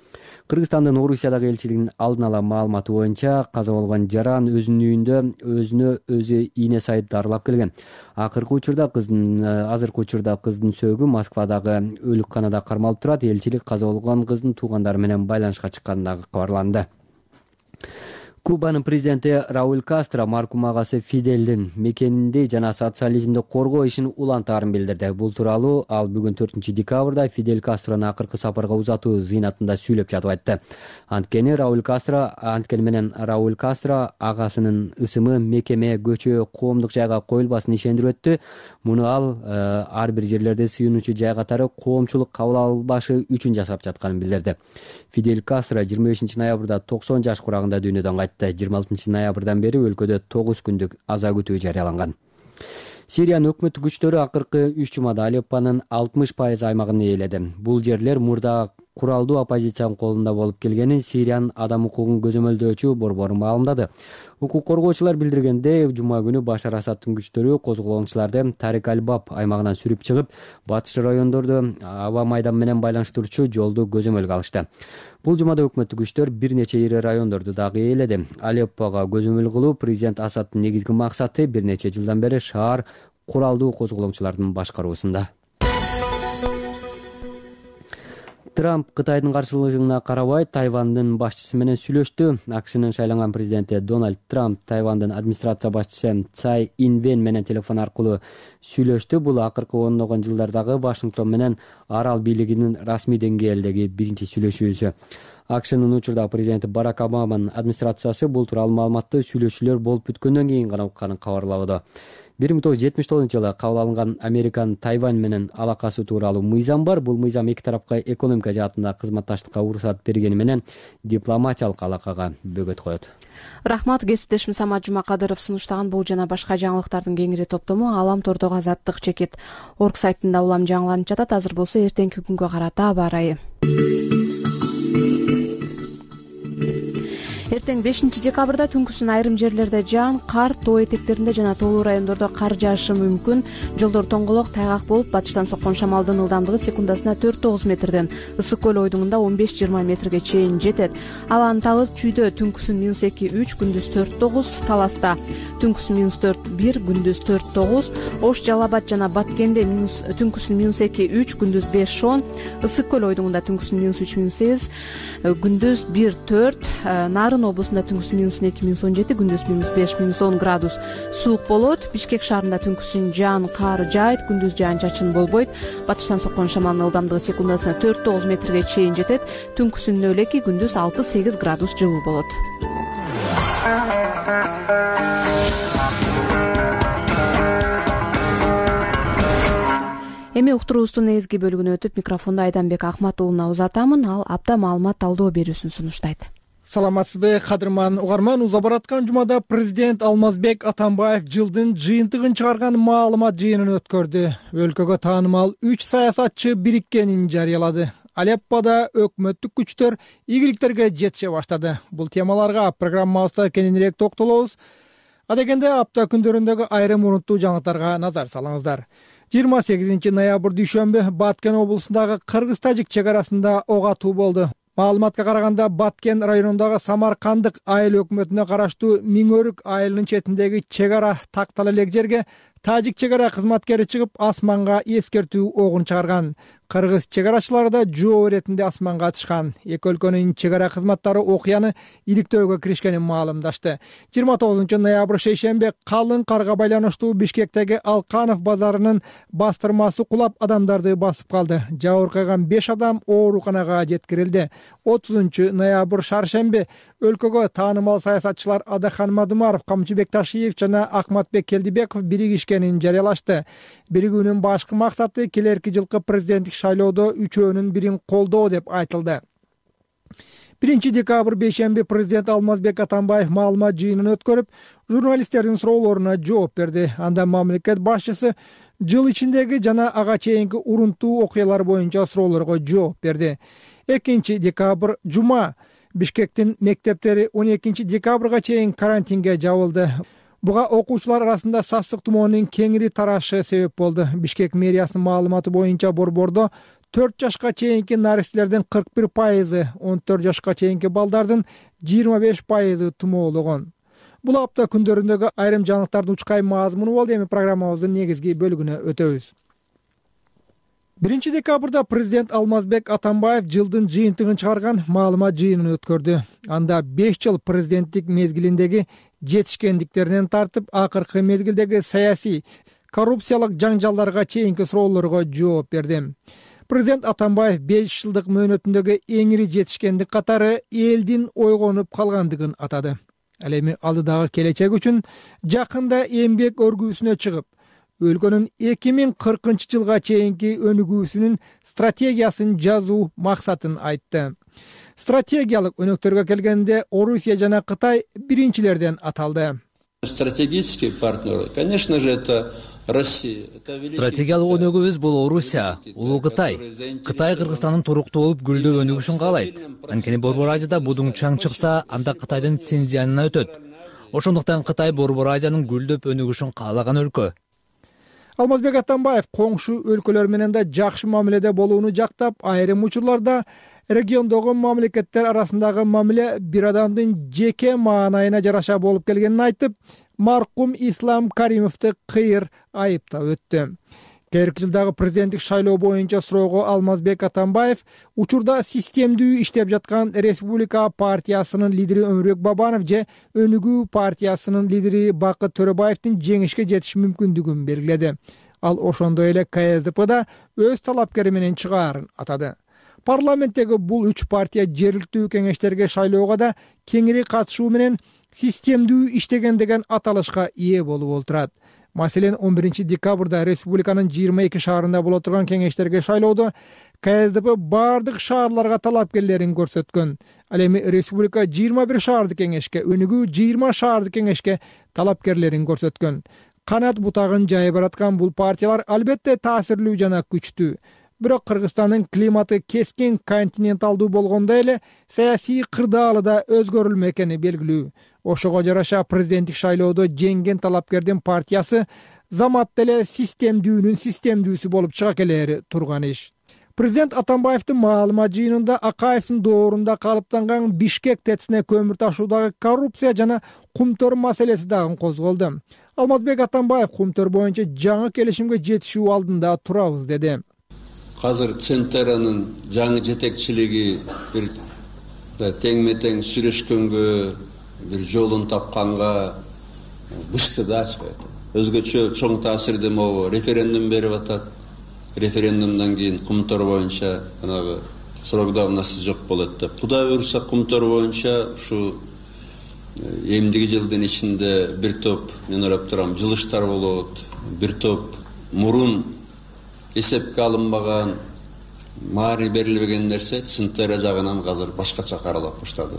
Speaker 3: Кыргызстандын Орусиядагы элчилигинин алдын ала маалыматы боюнча каза болгон жаран өзүнүн үйүндө өзүнө өзү ийне сайып дарылап келген. Азыркы учурда кыздын сөөгү Москвадагы өлүкканада кармалып турат. Элчилик каза болгон кыздын туугандары менен байланышка чыкканы дагы кабарланды. Кубанын президенти Рауль Кастро маркум агасы Фиделдин мекенинди жана социализмди коргоо ишин улантаарын билдирди. Бул тууралуу ал бүгүн 4 декабрда Фидель Кастрону акыркы сапарга узатуу зыйнатында сүйлөп жатып айтты. Анткени менен Рауль Кастро агасынын ысымы мекеме, көчө, коомдук жайга коюлбасын ишендирип өттү. Муну ал ар бир жерлерде сыйынуучу жай катары коомчулук кабыл албашы үчүн жасап жатканын билдирди. Фидель Кастро 25 ноябрда 90 жаш курагында дүйнөдөн кайтты. 26 ноябрдан бери өлкөдө 9 күндүк аза күтүү жарыяланган. Сириянын өкмөттүк күчтөрү акыркы 3 жумада Алеппонун 60% аймагын ээледи. Бул жерлер мурда куралдуу оппозициянын колунда болуп келгенин Сириянын адам укугун көзөмөлдөөчү борбору маалымдады. Укук коргоочулар билдиргенде, жума күнү Башар Асадтын күчтөрү козголоңчуларды Тарик аль-Баб аймагынан сүрүп чыгып, батыш райондордо аба майдан менен байланыштыруучу жолду көзөмөлгө алышты. Бул жумада өкмөттүк күчтөр бир нече ири райондорду дагы ээледи. Алеппого көзөмөл кылуу президент Асадтын негизги максаты бир нече жылдан бери шаар куралдуу козголоңчулардын башкаруусунда. Трамп Кытайдын каршылыгына карабай Тайвандын башчысы менен сүйлөштү. АКШнын шайланган президенти Дональд Трамп Тайвандын администрация башчысы Цай Инвен менен телефон аркылуу сүйлөштү. Бул акыркы ондогон жылдардагы Вашингтон менен арал бийлигинин расмий деңгээлдеги биринчи сүйлөшүүсү. АКШнын учурда президенти Барак Обаманын администрациясы бул тууралуу маалыматты сүйлөшүүлөр болуп бүткөндөн кийин гана укканын кабарлабады. 1979-жылы кабыл алынган Американын Тайвань менен алакасы тууралуу мыйзам бар. Бул мыйзам эки тарапка экономика жаатында кызматташтыкка уруксат бергени менен дипломатиялык алакага бөгөт коет.
Speaker 1: Рахмат, кесиптешим Самат Жумакадыров сунуштаган бул жана башка жаңылыктардын кеңири топтому Алам тордогу Азаттык чекит орг сайтында улам жаңыланып жатат. Азыр болсо эртеңки күнгө карата аба ырайы. Эртең 5 декабрда түнкүсүн айрым жерлерде жаан, кар, тоо этектеринде жана тоолуу райондордо кар жаашы мүмкүн. Жолдор тоңголок, тайгак болуп, батыштан соккон шамалдын ылдамдыгы секундасына 4-9 метрден, Ысык көл ойдуңунда 15-20 метрге чейин жетет. Ал Анталы чүйдө түнкүсүн -2-3, күндүз 4-9, Таласта түнкүсүн -4-1, күндүз 4-9, Ош, Жалал Абад жана Баткенде түнкүсүн -2-3, күндүз 5-10, Ысык көл ойдуңунда түнкүсүн -3-8, күндүз 1-4, Нарын облусунда түнкүсүн -2-17, күндүз -5-10 градус суук болот. Бишкек шаарында түнкүсүн жаан, кар жаайт, күндүз жаан чачын болбойт. Батыштан соккон шамалдын ылдамдыгы секундасына 4-9 метрге чейин жетет. Түнкүсүн нөлеки, күндүз 6-8 градус жылуу болот. Эми уктуруубуздун негизги бөлүгүнө өтүп, микрофонду Айданбек Ахмат уулуна узатамын. Ал апта маалымат талдоо берүүсүн сунуштайт.
Speaker 4: Саламатсызбы, кадырман угарман. Уза бараткан жумада президент Алмазбек Атамбаев жылдын жыйынтыгын чыгарган маалымат жыйынын өткөрдү. Өлкөгө таанымал 3 саясатчы бириккенин жарыялады. Алеппода өкмөттүк күчтөр ийгиликтерге жетише баштады. Бул темаларга программабызда кененирээк токтолобуз. Адегенде апта күндөрүндөгү айрым урунттуу жаңылыктарга назар салыңыздар. 28 ноябрь дүйшөмбү Баткен облусундагы кыргыз-тажик чек арасында ок атуу болду. Маалыматка караганда, Баткен районундагы Самаркандык айыл өкмөтүнө караштуу Миңөрүк айылынын четиндеги чек ара тактала элек жерге тажик чек ара кызматкери чыгып, асманга эскертүү огун чыгарган. Кыргыз чек арачылары да жооп иретинде асманга атышкан. Эки өлкөнүн чек ара кызматтары окуяны иликтөөгө киришкенин маалымдашты. 29 ноябрь шейшембе калың карга байланыштуу Бишкектеги Алканов базарынын бастырмасы кулап, адамдарды басып калды. Жабыркаган 5 адам ооруканага жеткирилди. 30 ноябрь шаршембе өлкөгө таанымал саясатчылар Адахан Мадумаров, Камчыбек Ташиев жана Акматбек Келдибеков биригишкенин жарыялашты. Биригүүнүн башкы максаты келерки жылкы президенттик шайлоодо үчөөнүн бирин колдоо деп айтылды. 1 декабрь бейшемби президент Алмазбек Атамбаев маалымат жыйынын өткөрүп, журналисттердин суроолоруна жооп берди. Анда мамлекет башчысы жыл ичиндеги жана ага чейинки урунттуу окуялар боюнча суроолорго жооп берди. 2 декабрь жума Бишкектин мектептери 12 декабрга чейин карантинге жабылды. Буга окуучулар арасында сасык тумоонун кеңири тарашы себеп болду. Бишкек мэриясынын маалыматы боюнча борбордо 4 жашка чейинки наристелердин 41%, 14 жашка чейинки балдардын 25% тумоологон. Бул апта күндөрүндөгү айрым жаңылыктардын учкай мазмуну болду. Эми программабыздын негизги бөлүгүнө өтөбүз. 1 декабрда президент Алмазбек Атамбаев жылдын жыйынтыгын чыгарган маалымат жыйынын өткөрдү. Анда 5 жыл президенттик мезгилиндеги жетишкендиктеринен тартып, акыркы мезгилдеги саясий, коррупциялык жаңжалдарга чейинки суроолорго жооп берди. Президент Атамбаев 5 жылдык мөөнөтүндөгү эң ири жетишкендик катары элдин ойгонуп калгандыгын атады. Ал эми алдыдагы келечек үчүн жакында эмгек өргүүсүнө чыгып, өлкөнүн 2040 жылга чейинки өнүгүүсүнүн стратегиясын жазуу максатын айтты. Стратегиялык өнөктөргө келгенде Орусия жана Кытай биринчилерден аталды.
Speaker 6: Стратегический партнер, конечно же, это Россия.
Speaker 5: Стратегиялык өнөгүбүз бул Орусия, Улуу Кытай. Кытай Кыргызстандын туруктуу болуп гүлдөп өнүгүшүн каалайт. Анткени Борбор Азияда будуң чаң чыкса, анда Кытайдын лицензиянына өтөт. Ошондуктан Кытай Борбор Азиянын гүлдөп өнүгүшүн каалаган өлкө.
Speaker 4: Алмазбек Атамбаев коңшу өлкөлөр менен да жакшы мамиледе болууну жактап, айрым учурларда региондогу мамлекеттер арасындагы мамиле бир адамдын жеке маанайына жараша болуп келгенин айтып, маркум Ислам Каримовду кыйыр айыптап өттү. Келерки жылдагы президенттик шайлоо боюнча суроого Алмазбек Атамбаев учурда системдүү иштеп жаткан Республика партиясынын лидери Өмүрбек Бабанов же Өнүгүү партиясынын лидери Бакыт Төрөбаевдин жеңишке жетиш мүмкүндүгүн белгиледи. Ал ошондой эле КСДПда өз талапкери менен чыгаарын атады. Парламенттеги бул 3 партия жергиликтүү кеңештерге шайлоого да кеңири катышуу менен системдүү иштеген деген аталышка ээ болуп олтурат. Маселен, 11 декабрда республиканын 22 шаарында боло турган кеңештерге шайлоодо КСДП бардык шаарларга талапкерлерин көрсөткөн. Ал эми республика 21 шаардык кеңешке, Өнүгүү 20 шаардык кеңешке талапкерлерин көрсөткөн. Канат бутагын жайып бараткан бул партиялар албетте таасирлүү жана күчтүү. Бирок Кыргызстандын климаты кескин континенталдуу болгондой эле саясий кырдаалы да өзгөрүлмө экени белгилүү. Ошого жараша президенттик шайлоодо жеңген талапкердин партиясы замат деле системдүүнүн системдүүсү болуп чыга келери турган иш. Президент Атамбаевдин маалымат жыйынында Акаевдин доорунда калыптанган Бишкек ТЭЦине көмүр ташуудагы коррупция жана кумтөр маселеси дагы козголду. Алмазбек Атамбаев кумтөр боюнча жаңы келишимге жетишүү алдында турабыз деди.
Speaker 6: Азыр Центеранын жаңы жетекчилиги бир теңме-тең сүйлөшкөнгө, бир жолун тапканга бышты да ачпайт. Өзгөчө чоң таасирде могу референдум берип атат. Референдумдан кийин кумтор боюнча анагы срок давности жок болот деп. Кудай буйрса кумтор боюнча ушу эмдиги жылдын ичинде бир топ, мен ойлоп турам, жылыштар болот. Бир топ мурун эсепке алынбаган, маани берилбеген нерсе Центера жагынан азыр башкача каралып баштады.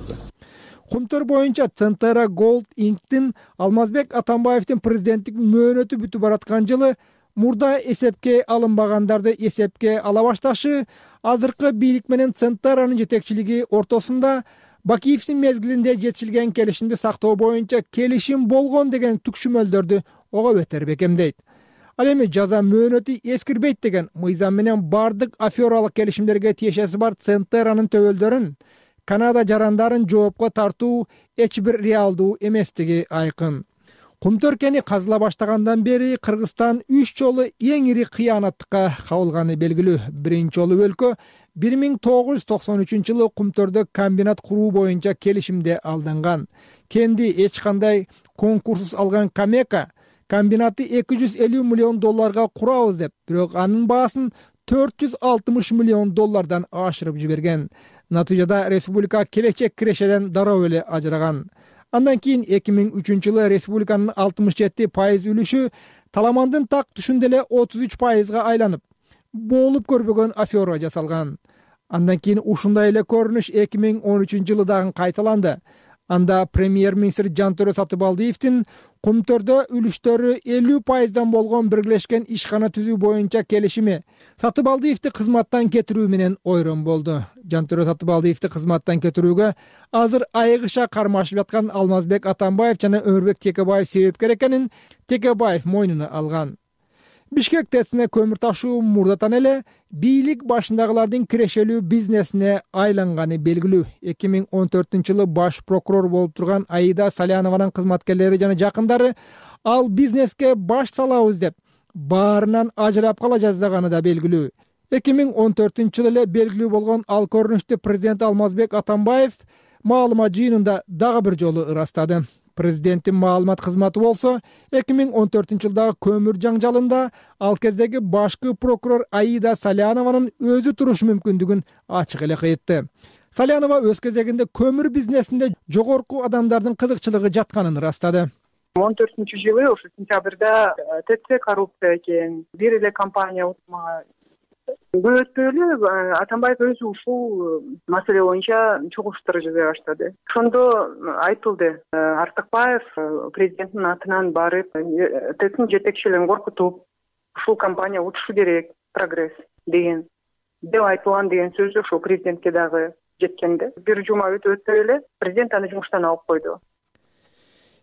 Speaker 4: Кумтөр боюнча Центера Gold Inc.тин Алмазбек Атамбаевдин президенттик мөөнөтү бүтүп бараткан жылы мурда эсепке алынбагандарды эсепке ала башташы, азыркы бийлик менен Центеранын жетекчилиги ортосунда Бакиевдин мезгилинде жетишилген келишимди сактоо боюнча келишим болгон деген түкшүмөлдөрдү ого бетер бекемдейт. Ал эми жаза мөөнөтү эскирбейт деген мыйзам менен бардык афералык келишимдерге тиешеси бар Центеранын төбөлдөрүн, Канада жарандарын жоопко тартуу эч бир реалдуу эместиги айкын. Кумтөркени казыла баштагандан бери Кыргызстан 3 жолу эң ири кыянаттыкка кабылганы белгилүү. Биринчи жолу өлкө 1993 жылы Кумтөрдө комбинат куруу боюнча келишимде алданган. Кенди эч кандай конкурссуз алган Камека комбинатты $250 миллион курабыз деп, бирок анын баасын $460 миллион ашырып жиберген. Натыйжада республика келечек кирешеден дароо эле ажыраган. Андан кийин 2003 жылы республиканын 67% үлүшү Таламандын так түшүндө эле 33%га айланып, болуп көрбөгөн афера жасалган. Андан кийин ушундай эле көрүнүш 2013 жылы дагы кайталанды. Анда премьер-министр Жантөрө Сатыбалдиевдин Кумтөрдө үлүштөрү 50%дан болгон биргелешкен ишкана түзүү боюнча келишими Сатыбалдиевди кызматтан кетирүү менен ойрон болду. Жантөрө Сатыбалдиевди кызматтан кетирүүгө азыр айыгыша кармашып жаткан Алмазбек Атамбаев жана Өмүрбек Текебаев себепкер экенин Текебаев мойнуна алган. Бишкек ТЭЦине көмүр ташуу мурдатан эле бийлик башындагылардын кирешелүү бизнесине айланганы белгилүү. 2014 жылы баш прокурор болуп турган Аида Салянованын кызматкерлери жана жакындары ал бизнеске баш салабыз деп баарынан ажырап кала жаздаганы да белгилүү. 2014-жылы эле белгилүү болгон ал көрүнүштү президент Алмазбек Атамбаев маалымат жыйынында дагы бир жолу ырастады. Президенттин маалымат кызматы болсо 2014-жылдагы көмүр жаңжалында ал кездеги башкы прокурор Аида Салянованын өзү турушу мүмкүндүгүн ачык эле айтты. Салянова өз кезегинде көмүр бизнесинде жогорку адамдардын кызыкчылыгы жатканын ырастады.
Speaker 7: 2014-жылы ошо сентябрда ТЦ коррупция экен, бир эле компания утмага. Көп өтпөй эле Атамбаев өзү ушул маселе боюнча чогулуштар жасай баштады. Ошондо айтылды, Артыкбаев президенттин атынан барып, ТЦнын жетекчилерин коркутуп, ушул компания утушу керек, прогресс деген деп айтылган деген сөз ошо президентке дагы жеткенде. Бир жума өтпөй эле президент аны жумуштан алып койду.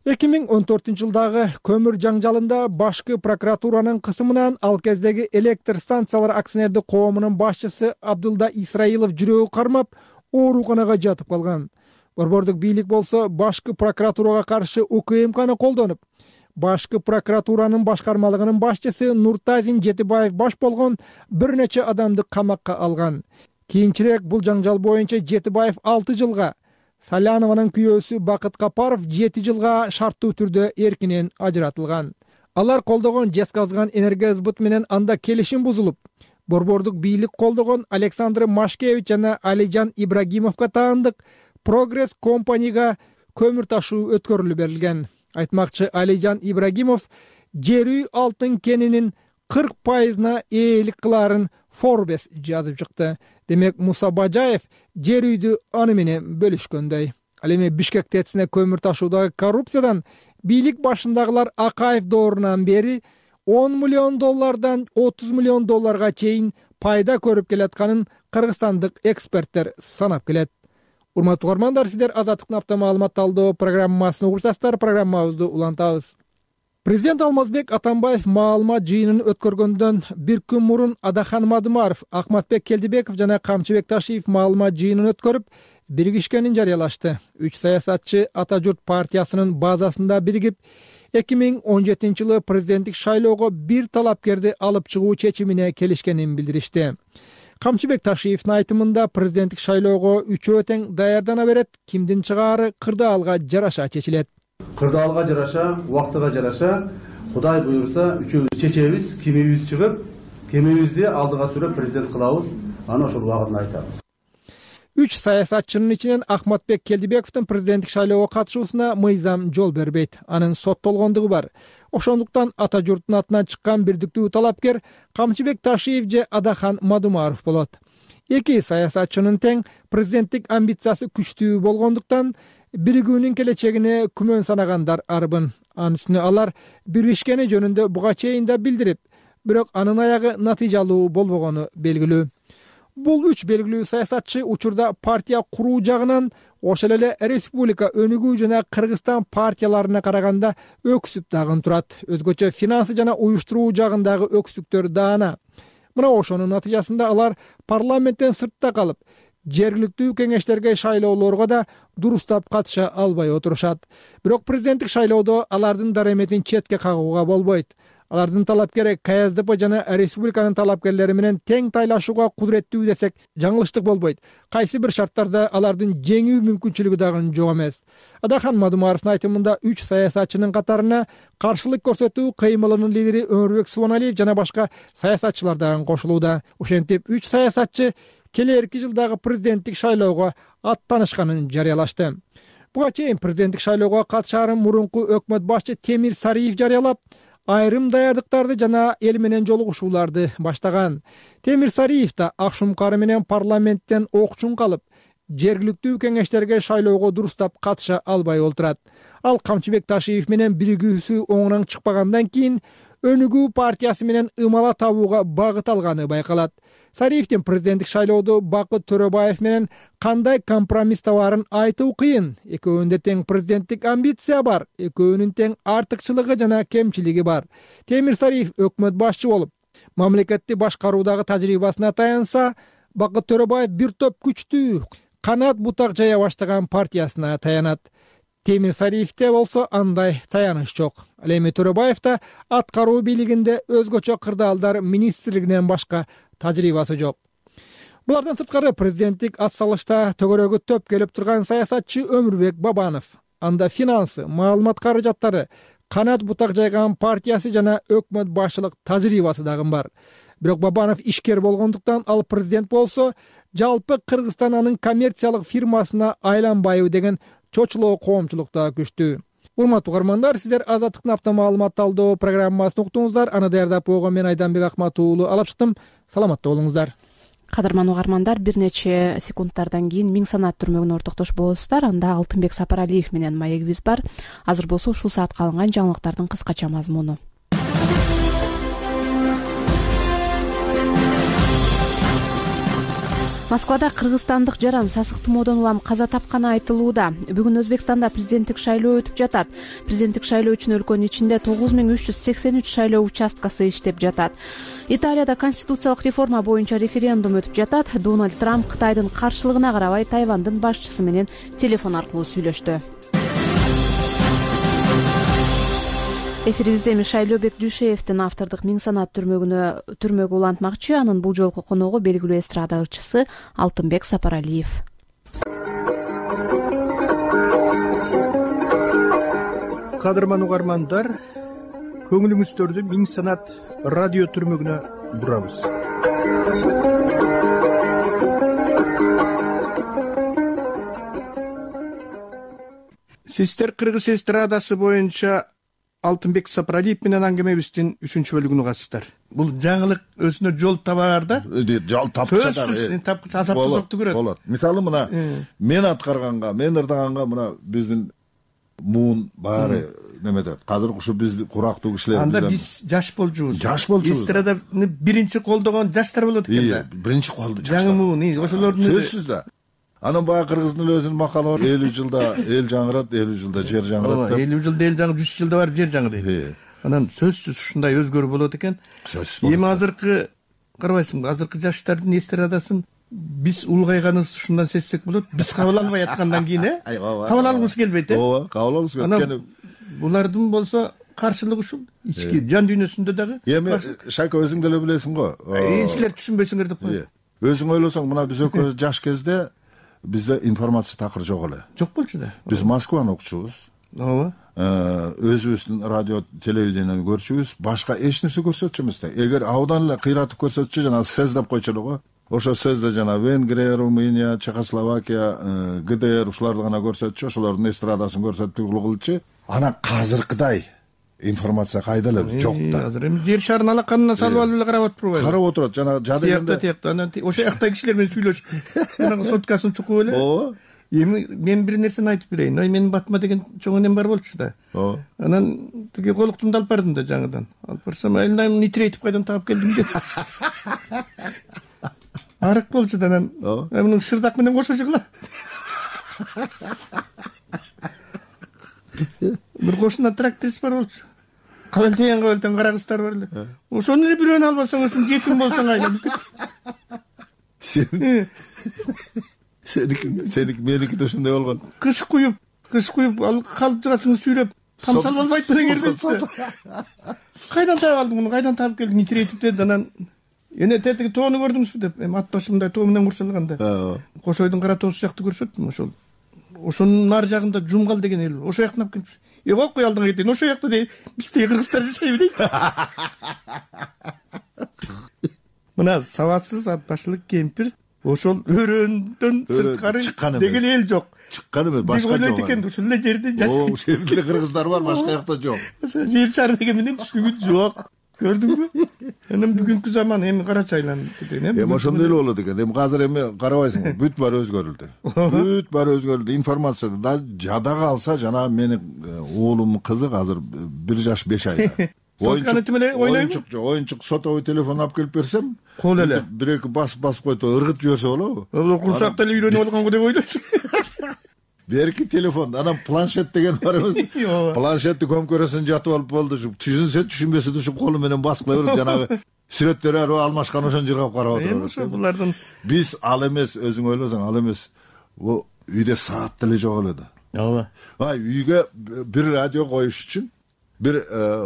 Speaker 4: 2014-жылдагы көмүр жаңжалында башкы прокуратуранын кысымынан ал кездеги электр станциялар акционердик коомунун башчысы Абдулда Исраилов жүрөгү кармап, ооруканага жатып калган. Борбордук бийлик болсо башкы прокуратурага каршы УКМКны колдонуп, башкы прокуратуранын башкармалыгынын башчысы Нуртазин Жетибаев баш болгон бир нече адамды камакка алган. Кийинчерээк бул жаңжал боюнча Жетибаев 6 жылга, Салянованын күйөөсү Бакыт Капаров 7 жылга шарттуу түрдө эркинен ажыратылган. Алар колдогон жезказган энергосбыт менен анда келишим бузулуп, борбордук бийлик колдогон Александр Машкевич жана Алижан Ибрагимовго таандык Прогресс компанияга көмүр ташуу өткөрүлүп берилген. Айтмакчы Алижан Ибрагимов жер үй алтын кенинин 40%-на ээлик кылаарын Forbes жазып чыкты. Демек Муса Бажаев жер үйдү аны менен бөлүшкөндөй. Ал эми Бишкек ТЭЦине көмүр ташуудагы коррупциядан бийлик башындагылар Акаев доорунан бери $10 миллион 30 миллион долларга чейин пайда көрүп келатканын кыргызстандык эксперттер санап келет. Урматтуу угармандар, сиздер Азаттыктын апта маалымат талдоо программасын угуп жатасыздар. Программабызды улантабыз. Президент Алмазбек Атамбаев маалымат жыйынын өткөргөндөн бир күн мурун Адахан Мадумаров, Акматбек Келдибеков жана Камчыбек Ташиев маалымат жыйынын өткөрүп, биригишкенин жарыялашты. 3 саясатчы Ата журт партиясынын базасында биригип, 2017-жылы президенттик шайлоого бир талапкерди алып чыгуу чечимине келишкенин билдиришти. Камчыбек Ташиевдин айтымында президенттик шайлоого үчөө тең даярдана берет, кимдин чыгаары кырдаалга жараша чечилет.
Speaker 8: Кырдаалга жараша, убактыга жараша, Кудай буйрса үчөөбүз чечебиз, кимибиз чыгып, кимибизди алдыга сүрөп президент кылабыз, аны ошол убагында айтабыз.
Speaker 4: 3 саясатчынын ичинен Акматбек Келдибековдун президенттик шайлоого катышуусуна мыйзам жол бербейт. Анын соттолгондугу бар. Ошондуктан Ата журттун атынан чыккан бирдиктүү талапкер Камчыбек Ташиев же Адахан Мадумаров болот. Эки саясатчынын тең президенттик амбициясы күчтүү болгондуктан биригүүнүн келечегине күмөн санагандар арбын. Анын үстүнө алар биришкени жөнүндө буга чейин да билдирип, бирок анын аягы натыйжалуу болбогону белгилүү. Бул 3 белгилүү саясатчы учурда партия куруу жагынан ошол эле республика өнүгүү жана Кыргызстан партияларына караганда өксүп дагы турат. Өзгөчө финансы жана уюштуруу жагындагы өксүктөр даана. Мына ошонун натыйжасында алар парламенттен сыртта калып, жергиликтүү кеңештерге шайлоолорго да дурустап катыша албай отурушат. Бирок президенттик шайлоодо алардын дараметин четке кагууга болбойт. Алардын талапкери КСДП жана республиканын талапкерлери менен тең тайлашууга кудуреттүү десек жаңылыштык болбойт. Кайсы бир шарттарда алардын жеңүү мүмкүнчүлүгү дагы жок эмес. Адахан Мадумаровдун айтымында 3 саясатчынын катарына каршылык көрсөтүү кыймылынын лидери Өмүрбек Субаналиев жана башка саясатчылар дагы кошулууда. Ошентип 3 саясатчы келерки жылдагы президенттик шайлоого аттанышканын жарыялашты. Буга чейин президенттик шайлоого катышаарын мурунку өкмөт башчы Темир Сариев жарыялап, айрым даярдыктарды жана эл менен жолугушууларды баштаган. Темир Сариев да Акшумкары менен парламенттен окчун калып, жергиликтүү кеңештерге шайлоого дурустап катыша албай олтурат. Ал Камчыбек Ташиев менен биригүүсү оңунан чыкпагандан кийин өнүгүү партиясы менен ымала табууга багыт алганы байкалат. Сариевдин президенттик шайлоодо Бакыт Төрөбаев менен кандай компромисс табаарын айтуу кыйын. Экөөнүндө тең президенттик амбиция бар, экөөнүн тең артыкчылыгы жана кемчилиги бар. Темир Сариев өкмөт башчы болуп, мамлекетти башкаруудагы тажрыйбасына таянса, Бакыт Төрөбаев бир топ күчтүү, канат бутак жая баштаган партиясына таянат. Темир Сариевде болсо андай таяныш жок. Ал эми Төрөбаев да аткаруу бийлигинде өзгөчө кырдаалдар министрлигинен башка тажрыйбасы жок. Булардан сырткары президенттик ат салышта төгөрөгө төп келип турган саясатчы Өмүрбек Бабанов, анда финансы, маалымат каражаттары, канат бутак жайган партиясы жана өкмөт башчылык тажрыйбасы дагы бар. Бирок Бабанов ишкер болгондуктан ал президент болсо, жалпы Кыргызстан анын коммерциялык фирмасына айланбайбы деген чочулоо коомчулук да күчтүү. Урматтуу угармандар, сиздер Азаттыктын автомаалымат талдоо программасын уктуңуздар. Аны даярдап койгон мен Айданбек Акмат уулу алып чыктым. Саламатта болуңуздар.
Speaker 1: Кадырман угармандар, бир нече секундтардан кийин Миң санат түрмөгүнө ортоктош болосуздар. Анда Алтынбек Сапаралиев менен маегибиз бар. Азыр болсо ушул саатка алынган жаңылыктардын кыскача мазмуну. Москвада кыргызстандык жаран сасык тумоодон улам каза тапканы айтылууда. Бүгүн Өзбекстанда президенттик шайлоо өтүп жатат. Президенттик шайлоо үчүн өлкөнүн ичинде 9383 шайлоо участкасы иштеп жатат. Италияда конституциялык реформа боюнча референдум өтүп жатат. Дональд Трамп Кытайдын каршылыгына карабай Тайвандын башчысы менен телефон аркылуу сүйлөштү. Эфирибизде эми Шайлообек Дүйшеевдин автордук Миң санат түрмөгү улантмакчы. Анын бул жолку коногу белгилүү эстрада ырчысы Алтынбек Сапаралиев.
Speaker 9: Кадырман угармандар, көңүлүңүздөрдү Миң санат радио түрмөгүнө бурабыз. Сиздер Кыргыз эстрадасы боюнча Алтынбек Сапаралиев менен аңгемебиздин 3-чү бөлүгүн угасыздар. Бул жаңылык өзүнө жол табаар да.
Speaker 2: Жол тапчадар.
Speaker 9: Азапты сокту көрөт.
Speaker 2: Болот. Мисалы мына мен аткарганга, мен ырдаганга мына биздин муун баары неметет. Азыр ушу биз курактуу кишилер.
Speaker 9: Анда биз жаш болчубуз.
Speaker 2: Эстраданы
Speaker 9: биринчи колдогон жаштар болот экен да.
Speaker 2: Биринчи колдо жаштар.
Speaker 9: Жаңы муун, ошолордун
Speaker 2: сөзсүз да. Анан баягы Кыргыздын өзүнүн макалы бар. 50 жылда эл жаңырат, 50 жылда жер жаңырат.
Speaker 9: 50 жылда эл жаңырат, 100 жылда барып жер жаңырайт. Анан сөзсүз ушундай өзгөрүү болот экен. Эми азыркы карабайсыңбы, азыркы жаштардын эстрадасын биз улгайганыбыз ушундан сезсек болот. Биз кабыл албай аткандан кийин, кабыл алгыбыз келбейт,
Speaker 2: ооба, кабыл алгыбыз келбейт.
Speaker 9: Булардын болсо каршылыгы ушул ички жан дүйнөсүндө дагы.
Speaker 2: Эми Шайка өзүң деле билесиң го.
Speaker 9: Силер түшүнбөйсүңөр деп коет.
Speaker 2: Өзүң ойлосоң, мына биз экөөбүз жаш кезде бизде информация такыр жок эле.
Speaker 9: Жок болчу да.
Speaker 2: Биз Москваны окучубуз.
Speaker 9: Ооба.
Speaker 2: Өзүбүздүн радио, телевидениени көрчүбүз, башка эч нерсе көрсөтчү эмес да. Эгер абдан эле кыйратып көрсөтчү, жана СЭЗ деп койчу эле го. Ошо СЭЗде жана Венгрия, Румыния, Чехословакия, ГДР ушуларды гана көрсөтчү, ошолордун эстрадасын көрсөтүп кылчу. Анан азыркыдай информация кайда эле жок да.
Speaker 9: Азыр эми жер шарын алаканына салып алып эле карап отурбайбы?
Speaker 2: Карап отурат, жана жадыгында.
Speaker 9: Тиякта, анан ошо жактай кишилер менен сүйлөшүп, анан соткасын чукуп эле.
Speaker 2: Ооба.
Speaker 9: Эми мен бир нерсени айтып берейин. Менин батыма деген чоң энем бар болчу да.
Speaker 2: Ооба.
Speaker 9: Анан тиги колуктумду алып бардым да жаңыдан. Алып барсам, элинен нитрейтип кайдан таап келдим деп. Арык болчу да анан. Мунун шырдак менен кошо жыгыла. Бир кошуна тракторист бар болчу. Кабылтен кара кыздар бар эле. Ошону эле бирөөнү албасаң, өзүң жетим болсоң айланып кет.
Speaker 2: Сеники меники да ошондой болгон.
Speaker 9: Кыш куюп, ал калтырасыңды сүйрөп, тамсалып албайт белең эрбейт. Кайдан таап алдың муну? Кайдан таап келдиң? Нитрейтип деди. Анан эне тетиги тоону көрдүңүзбү деп, эми ат башы мындай тоо менен курчалганда. Кошойдун кара тоосу жакты көрсөттүм ошол. Ошонун нар жагында Жумгал деген эл бар. Ошо жактан алып келип. Кой алдыңа кетейин. Ошо жакта дейт. Бизде кыргыздар жашайбы дейт. Мына сабатсыз ат башылык кемпир ошол өрөөндөн сырткары деген эл жок.
Speaker 2: Чыккан эмес, башка жок.
Speaker 9: Ойлойт экен, ушул эле жерде жашайт.
Speaker 2: Ошол жерде кыргыздар бар, башка жакта жок.
Speaker 9: Жер шары деген менен түшүнүк жок. Көрдүңбү? Анан бүгүнкү заман эми карачы айланып кеткен.
Speaker 2: Эми ошондой эле болот экен. Эми азыр эми карабайсыңбы, бүт баары өзгөрүлдү. Бүт баары өзгөрүлдү. Информация да жадага алса, жана менин уулумдун кызы азыр 1 жаш 5 айда. Оюнчук сотовый телефон алып келип берсем,
Speaker 9: кол эле
Speaker 2: бир-эки басып койду, ыргытып жиберсе болобу?
Speaker 9: Курсакта эле үйрөнүп алганго деп ойлойсуң.
Speaker 2: Берки телефон, анан планшет деген бар эмес. Планшетти көмкөрөсүн жатып алып болду. Түшүнсө түшүнбөсө да ушу колу менен басып кыла берет. Жанагы сүрөттөр алмашкан ошон жыргап карап отурат.
Speaker 9: Ошо булардын
Speaker 2: биз ал эмес, өзүң ойлосоң ал эмес. Бул үйдө саат деле жок эле да.
Speaker 9: Ооба.
Speaker 2: Үйгө бир радио коюш үчүн бир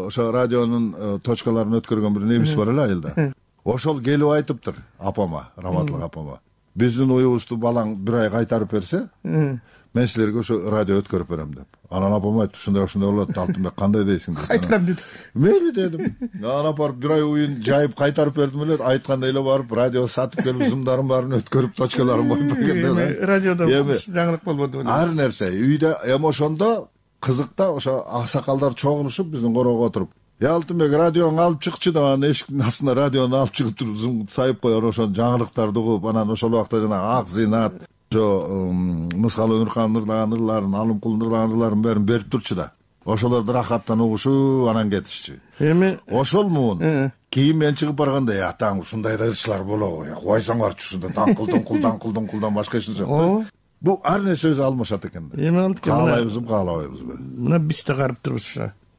Speaker 2: ошо радионун точкаларын өткөргөн бир немис бар эле айылда. ошол келип айтыптыр апама, раматлык апама. Биздин уюбузду балаң бир ай кайтарып берсе, мен силерге ошо радио өткөрүп берем деп. Анан апам айтты, ушундай болот, Алтынбек кандай дейсиң деп.
Speaker 9: Кайтарам деди.
Speaker 2: Мейли дедим. Анан барып бир ай уюн жайып кайтарып бердим эле, айткандай эле барып радио сатып келип зымдарын баарын өткөрүп, точкаларын коюп бергенде.
Speaker 9: Радиодо жаңылык болбоду.
Speaker 2: Ар нерсе үйдө эми ошондо кызык да, ошо аксакалдар чогулушуп биздин короого отуруп, Алтынбек радиону алып чыкчы деп, анан эшиктин астына радиону алып чыгып туруп сайып коер, ошол жаңылыктарды угуп, анан ошол убакта жанагы Ак Зинат, ошо Мыскал Өмүрхан ырлаган ырларын, Алымкул ырлаган ырларын баарын берип турчу да. Ошолорду рахаттан угушуп, анан кетишчү.
Speaker 9: Эми
Speaker 2: ошол муун. Кийин мен чыгып барганда, атаң ушундай да ырчылар болобу? Койсоңарчы ушунда даңкылдан башка эч нерсе жок. Бул ар нерсе өзү алмашат экен да.
Speaker 9: Эми алды экен.
Speaker 2: Каалайбызбы, каалабайбызбы?
Speaker 9: Мына биз да карап турбуз.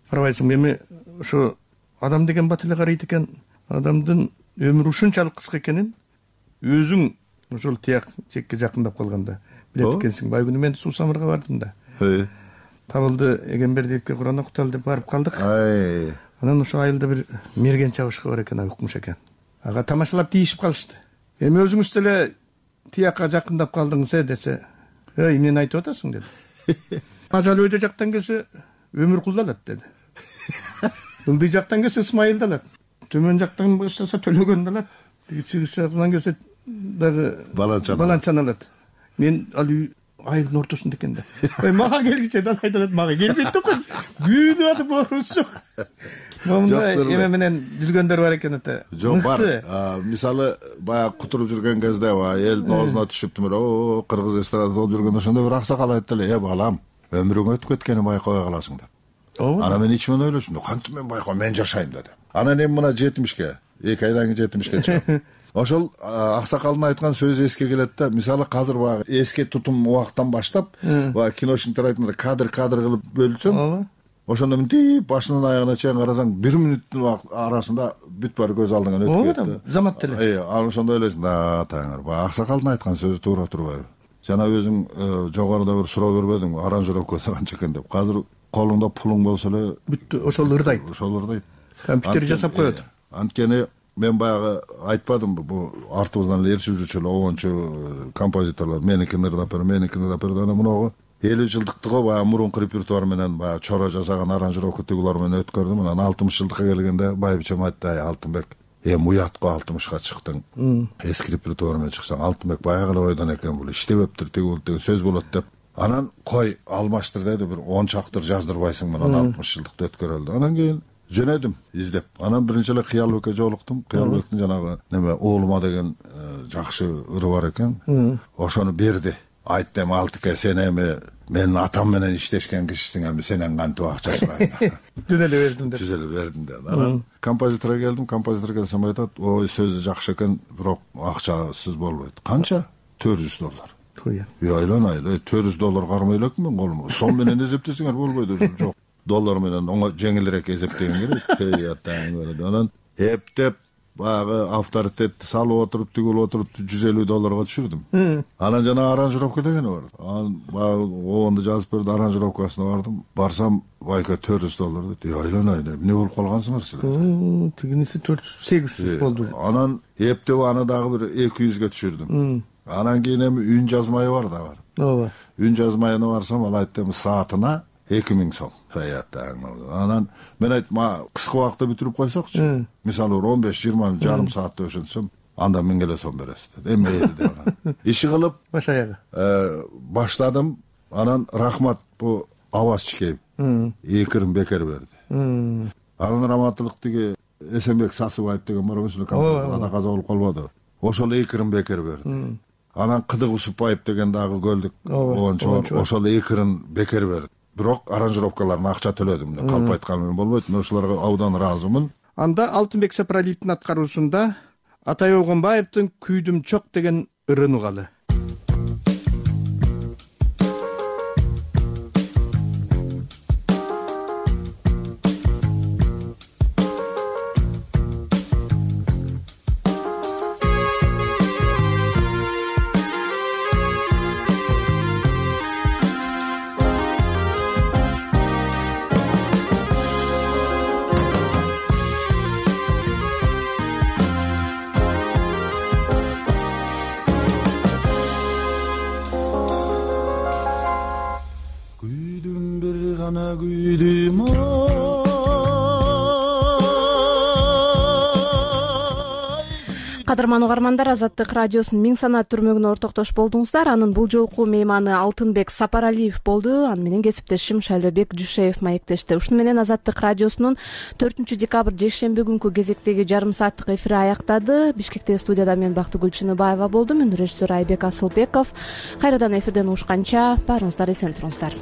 Speaker 9: Карабайсыңбы, эми ошо адам деген бат эле карайт экен. Адамдын өмүрү ушунчалык кыска экенин өзүң ошол тияк чекке жакындап калганда билет экенсиң. Байгүнү мен Суу Самырга бардым да. Табылды Эгембердиевке Кур'ан окуталы деп барып калдык. Анан ошо айылда бир мерген чабышкы бар экен, укмуш экен. Ага тамашалап тийишип калышты. Эми өзүңүз деле тиякка жакындап калдыңыз десе, эмнени айтып атасың деди. Ажал өйдө жактан келсе Өмүркулду алат деди. Ылдый жактан келсе Исмайылды алат. Төмөн жактан баштаса Төлөгөндү алат. Тиги чыгыш жактан келсе дагы Баланчаны алат. Мен ал үй айылдын ортосунда экен да. Мага келгиче да айтат, мага келбейт да. Күйдүп атып борубуз жок. Момундай эме менен жүргөндөр бар экен ата.
Speaker 2: Жок бар. Мисалы баягы кутуруп жүргөн кезде элдин оозуна түшүптүмөр. О, кыргыз эстрадада болуп жүргөндө ошондо бир аксакал айтты эле, балам, өмүрүң өтүп кеткенин байкабай каласың деп. Анан мен ичимен ойлошум, кантип мен байкабайм, мен жашайм дедим. Анан эми мына 70ке, 2 айдан кийин 70ке чыгам. Ошол аксакалдын айткан сөзү эске келет да. Мисалы азыр баягы эске тутум убактан баштап, баягы киношниктер айткандай кадр кылып бөлүнсөң, ошондо мынтип башынан аягына чейин карасаң, 1 мүнөттүн арасында бүт баары көз алдыңан өтүп кетти.
Speaker 9: Замат деле.
Speaker 2: Анан ошондо ойлойсуң, таңыр, баягы аксакалдын айткан сөзү туура турбайбы? Жана өзүң жогоруда бир суроо бербедиңби, аранжировкасы канча экен деп. Азыр колуңда пулуң болсо эле
Speaker 9: бүттү, ошол ырдайт. Компьютер жасап коет.
Speaker 2: Анткени мен баягы айтпадымбы, бул артыбыздан эле ээрчип жүрчү эле обончу композиторлор меникин ырдап бер, анан муногу 50 жылдыктыгы баягы мурунку репертуар менен баягы чора жасаган аранжировка тигулар менен өткөрдүм. Анан 60 жылдыкка келгенде байбичем айтты, Алтынбек, уят го 60ка чыктың. Эски репертуар менен чыксаң, Алтынбек баягы эле ойдон экен, бул иштебептир, тигул сөз болот деп. Анан кой алмаштыр деди, бир 10 чактыр жаздырбайсың менен 60 жылдыкты өткөрөлдү. Анан кийин жөнөдүм издеп. Анан биринчи эле Кыялбекке жолуктум. Кыялбектин жанагы неме Уулума деген жакшы ыры бар экен. Ошону берди. Айтты, Алтыке, сен эми менин атам менен иштешкен кишисиң, эми сенен кантип акча сурайм?
Speaker 9: Түз эле бердим деп.
Speaker 2: Түз эле бердим деп. Анан композиторго келдим. Композитор келсем айтат, ой, сөзү жакшы экен, бирок акчасыз болбойт. Канча? $400. Айланайды, $400 кармай элекмин мен колумга. Сом менен эсептесеңер болбойт, жок. Доллар менен оңой жеңилирээк эсептеген керек. Анан эптеп баягы авторитетти салып отуруп, тигилип отуруп $150 түшүрдүм. Анан жана аранжировка дегени бар. Анан баягы обонду жазып берди, аранжировкасына бардым. Барсам, байка $400 деди. Айланайды, эмне болуп калгансыңар силер?
Speaker 9: Тигиниси 400-800 болду.
Speaker 2: Анан эптеп аны дагы бир 200ге түшүрдүм. Анан кийин эми үн жазмайы бар да бар.
Speaker 9: Ооба.
Speaker 2: Үн жазмайына барсам, ал айтты, саатына 2000 сом. Анан мен айттым, кыска убакытта бүтүрүп койсокчу. Мисалы 15-20 жарым саатта өшөнсөм, анда 1000 сом бересиз деди. Эми деп. Иши кылып
Speaker 9: баш аягы
Speaker 2: баштадым. Анан рахмат бу Аваз Чикеев 2 бекер берди. Анан раматтылык тиги Эсенбек Сасыбаев деген бар, ошол композитор каза болуп калбады. Ошол 2 бекер берди. Анан Кыдык Усупбаев деген дагы көлдүк обончу бар, ошол 2 бекер берди. Бирок аранжировкаларына акча төлөдүм. Калп айткан менен болбойт. Мен ошолорго абдан ыраазымын.
Speaker 9: Анда Алтынбек Сапаралиевдин аткаруусунда Атай Огонбаевдин Күйдүм чок деген ырын угалы.
Speaker 1: Кадырман угармандар, Азаттык радиосунун миң санат түрмөгүнө ортоктош болдуңуздар. Анын бул жолку мейманы Алтынбек Сапаралиев болду. Аны менен кесиптешим Шайлообек Жушеев маектешти. Ушуну менен Азаттык радиосунун 4 декабрь жекшемби күнкү кезектеги жарым сааттык эфири аяктады. Бишкектеги студияда мен Бактыгүл Чыныбаева болдум. Режиссер Айбек Асылбеков. Кайрадан эфирден угушканча баарыңыздар эсен туруңуздар.